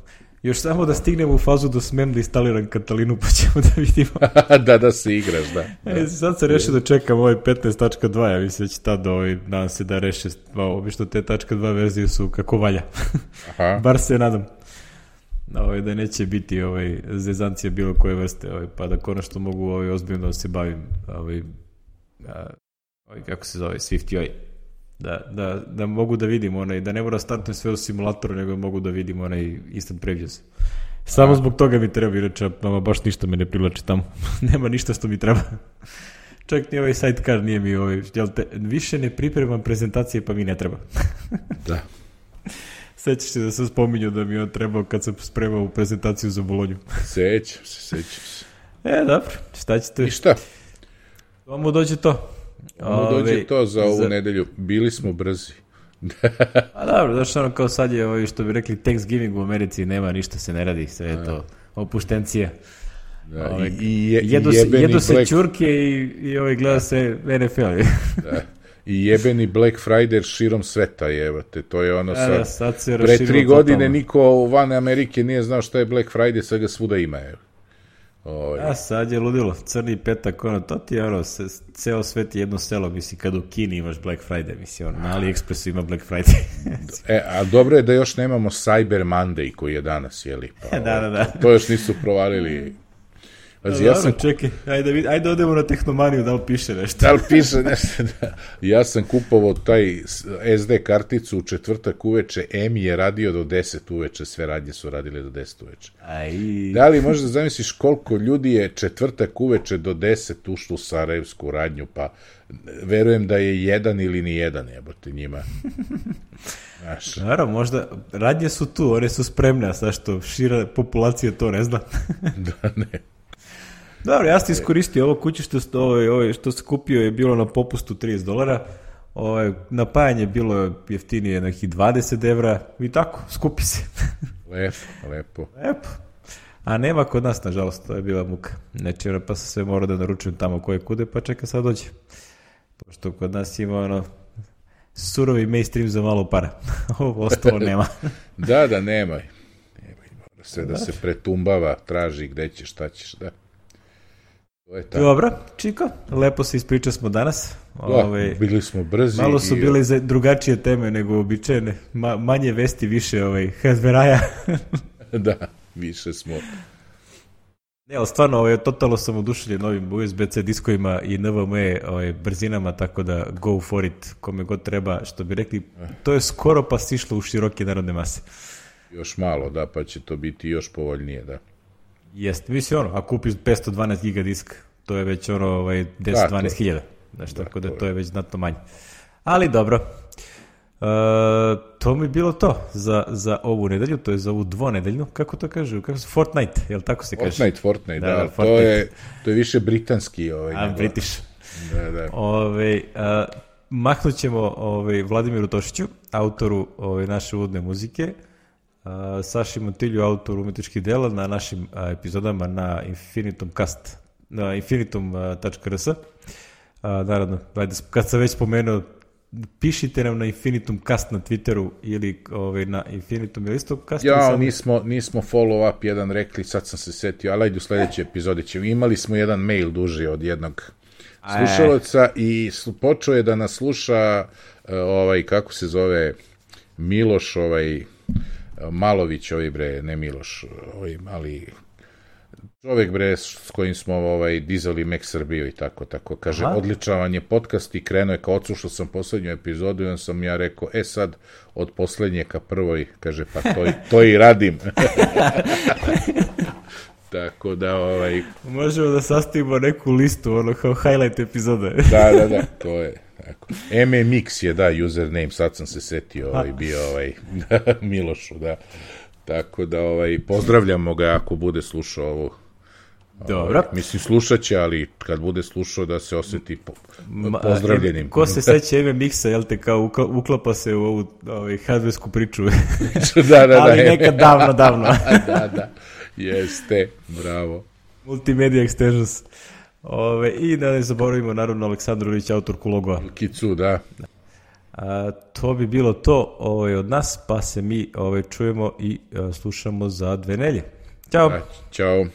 Još samo da stignemo u fazu da smem da instaliram Katalinu, pa ćemo da vidimo. Da se igraš, da. Sad sam rešio da čekam 15.2, ja mislim da će tad nadam se da reše, obično te .2 verzije su kako valja. Bar se nadam. Da neće biti zezancija bilo koje vrste, pa da konačno mogu ozbiljno da se bavim kako se zove, SwiftUI. Da mogu da vidim da ne mora startujem sve u simulatoru, nego mogu da vidim instant previews. Samo zbog toga mi treba, inače baš ništa me ne privlači tamo. Nema ništa što mi treba. Čak ni Sidecar nije mi više ne pripremam prezentacije, pa mi ne treba. Da. Sećaš se da sam spominjao da mi je on trebao kad sam spremao u prezentaciju za Bolonju. Sećam se. Dobro, šta ćete? I šta? Vamo dođe to. Dođe to za ovu nedelju. Bili smo brzi. A dobro, znaš ono kao sad je što bi rekli Thanksgiving u Americi, nema ništa se ne radi, sve je to opuštencija. Da, jedu se čurke i gleda se NFL. Da. I jebeni Black Friday širom sveta, jebate, to je ono sad pre 3 godine niko van Amerike nije znao šta je Black Friday, sad ga svuda ima, evo. Sad je ludilo, crni petak, to ti je ceo svet je jedno selo, misli, kad u Kini imaš Black Friday, misli, na AliExpressu ima Black Friday. A dobro je da još nemamo Cyber Monday koji je danas, jeli? Pa, da. To još nisu provalili. Čekaj, ajde odemo na Tehnomaniju, da li piše nešto? Da li piše nešto, da. Ja sam kupovao taj SD karticu u četvrtak uveče, Emi je radio do 10 uveče, sve radnje su radile do 10 uveče. Da li možda zamisliš koliko ljudi je četvrtak uveče do 10 ušlo u sarajevsku radnju, pa verujem da je jedan ili ni jedan, jebote, njima. Naravno, možda, radnje su tu, one su spremne, a sad što šira populacija to ne zna. Da, ne. Dobro, ja sam iskoristio ovo kuće što se kupio je bilo na popustu $30, napajanje bilo jeftinije nekih 20 evra i tako, skupi se. Lepo. A nema kod nas, nažalost, to je bila muka. Neče, pa sam sve morao da naručujem tamo koje kude, pa čeka sad dođe. Pošto kod nas ima surovi mainstream za malo para. Ovo ostalo nema. Da, nema. Sve da se pretumbava, traži gde ćeš, šta ćeš, da. Dobro, Čiko, lepo se ispričali smo danas. Bili smo brzi. Malo su bile drugačije teme nego običajne. Manje vesti, više hardveraja. Da, više smo. Ne, ali stvarno, totalno sam oduševljen novim USB-C diskovima i NVMe brzinama, tako da go for it, kome god treba, što bi rekli, to je skoro pa stišlo u široke narodne mase. Još malo, da, pa će to biti još povoljnije, da. Jeste, misli ako kupiš 512 giga disk, to je već 10-12 hiljada, tako da to je već znatno manje. Ali dobro, to mi bilo to za ovu nedelju, to je za ovu dvonedeljnu, kako to kažu, Fortnite, jel tako se kaže? Fortnite, da, to je više britanski. British. Da. Mahnut ćemo Vladimiru Tošiću, autoru naše uvodne muzike, Saši Montilju, autoru umetničkih dela na našim epizodama na Infinitum.cast, na infinitum.rs. Naravno, kad sam već spomenuo, pišite nam na Infinitum.cast na Twitteru ili na Infinitum ili isto cast. Ja, nismo follow up jedan rekli, sad sam se setio, ali ajde u sledeće epizode ćemo. Imali smo jedan mail duži od jednog slušalaca i počeo je da nas sluša kako se zove, Miloš, Malović, ne Miloš, mali čovek, s kojim smo dizali Mek Srbiju i tako. Kaže, odličan vam je podcast i krenuo je, kao odslušao sam poslednju epizodu i on sam ja rekao, sad, od poslednje ka prvoj, kaže, pa to i radim. Tako da, Možemo da sastavimo neku listu, kao highlight epizode. Da, to je. MMX je, da, username, sad sam se setio, bio Milošu, da. Tako da, pozdravljamo ga ako bude slušao ovo. Dobro. Mislim, slušat će, ali kad bude slušao da se osjeti pozdravljenim. Ko se seća MMX-a, jel te, kao uklapa se u ovu hardversku priču. Da. Ali nekad davno. Da, jeste, bravo. Multimedia Extensions. I da ne zaboravimo, naravno, Aleksandrović, autor Kulogova. Kicu, da. To bi bilo to od nas, pa se mi čujemo i slušamo za 2 nedelje. Ćao. Ćao.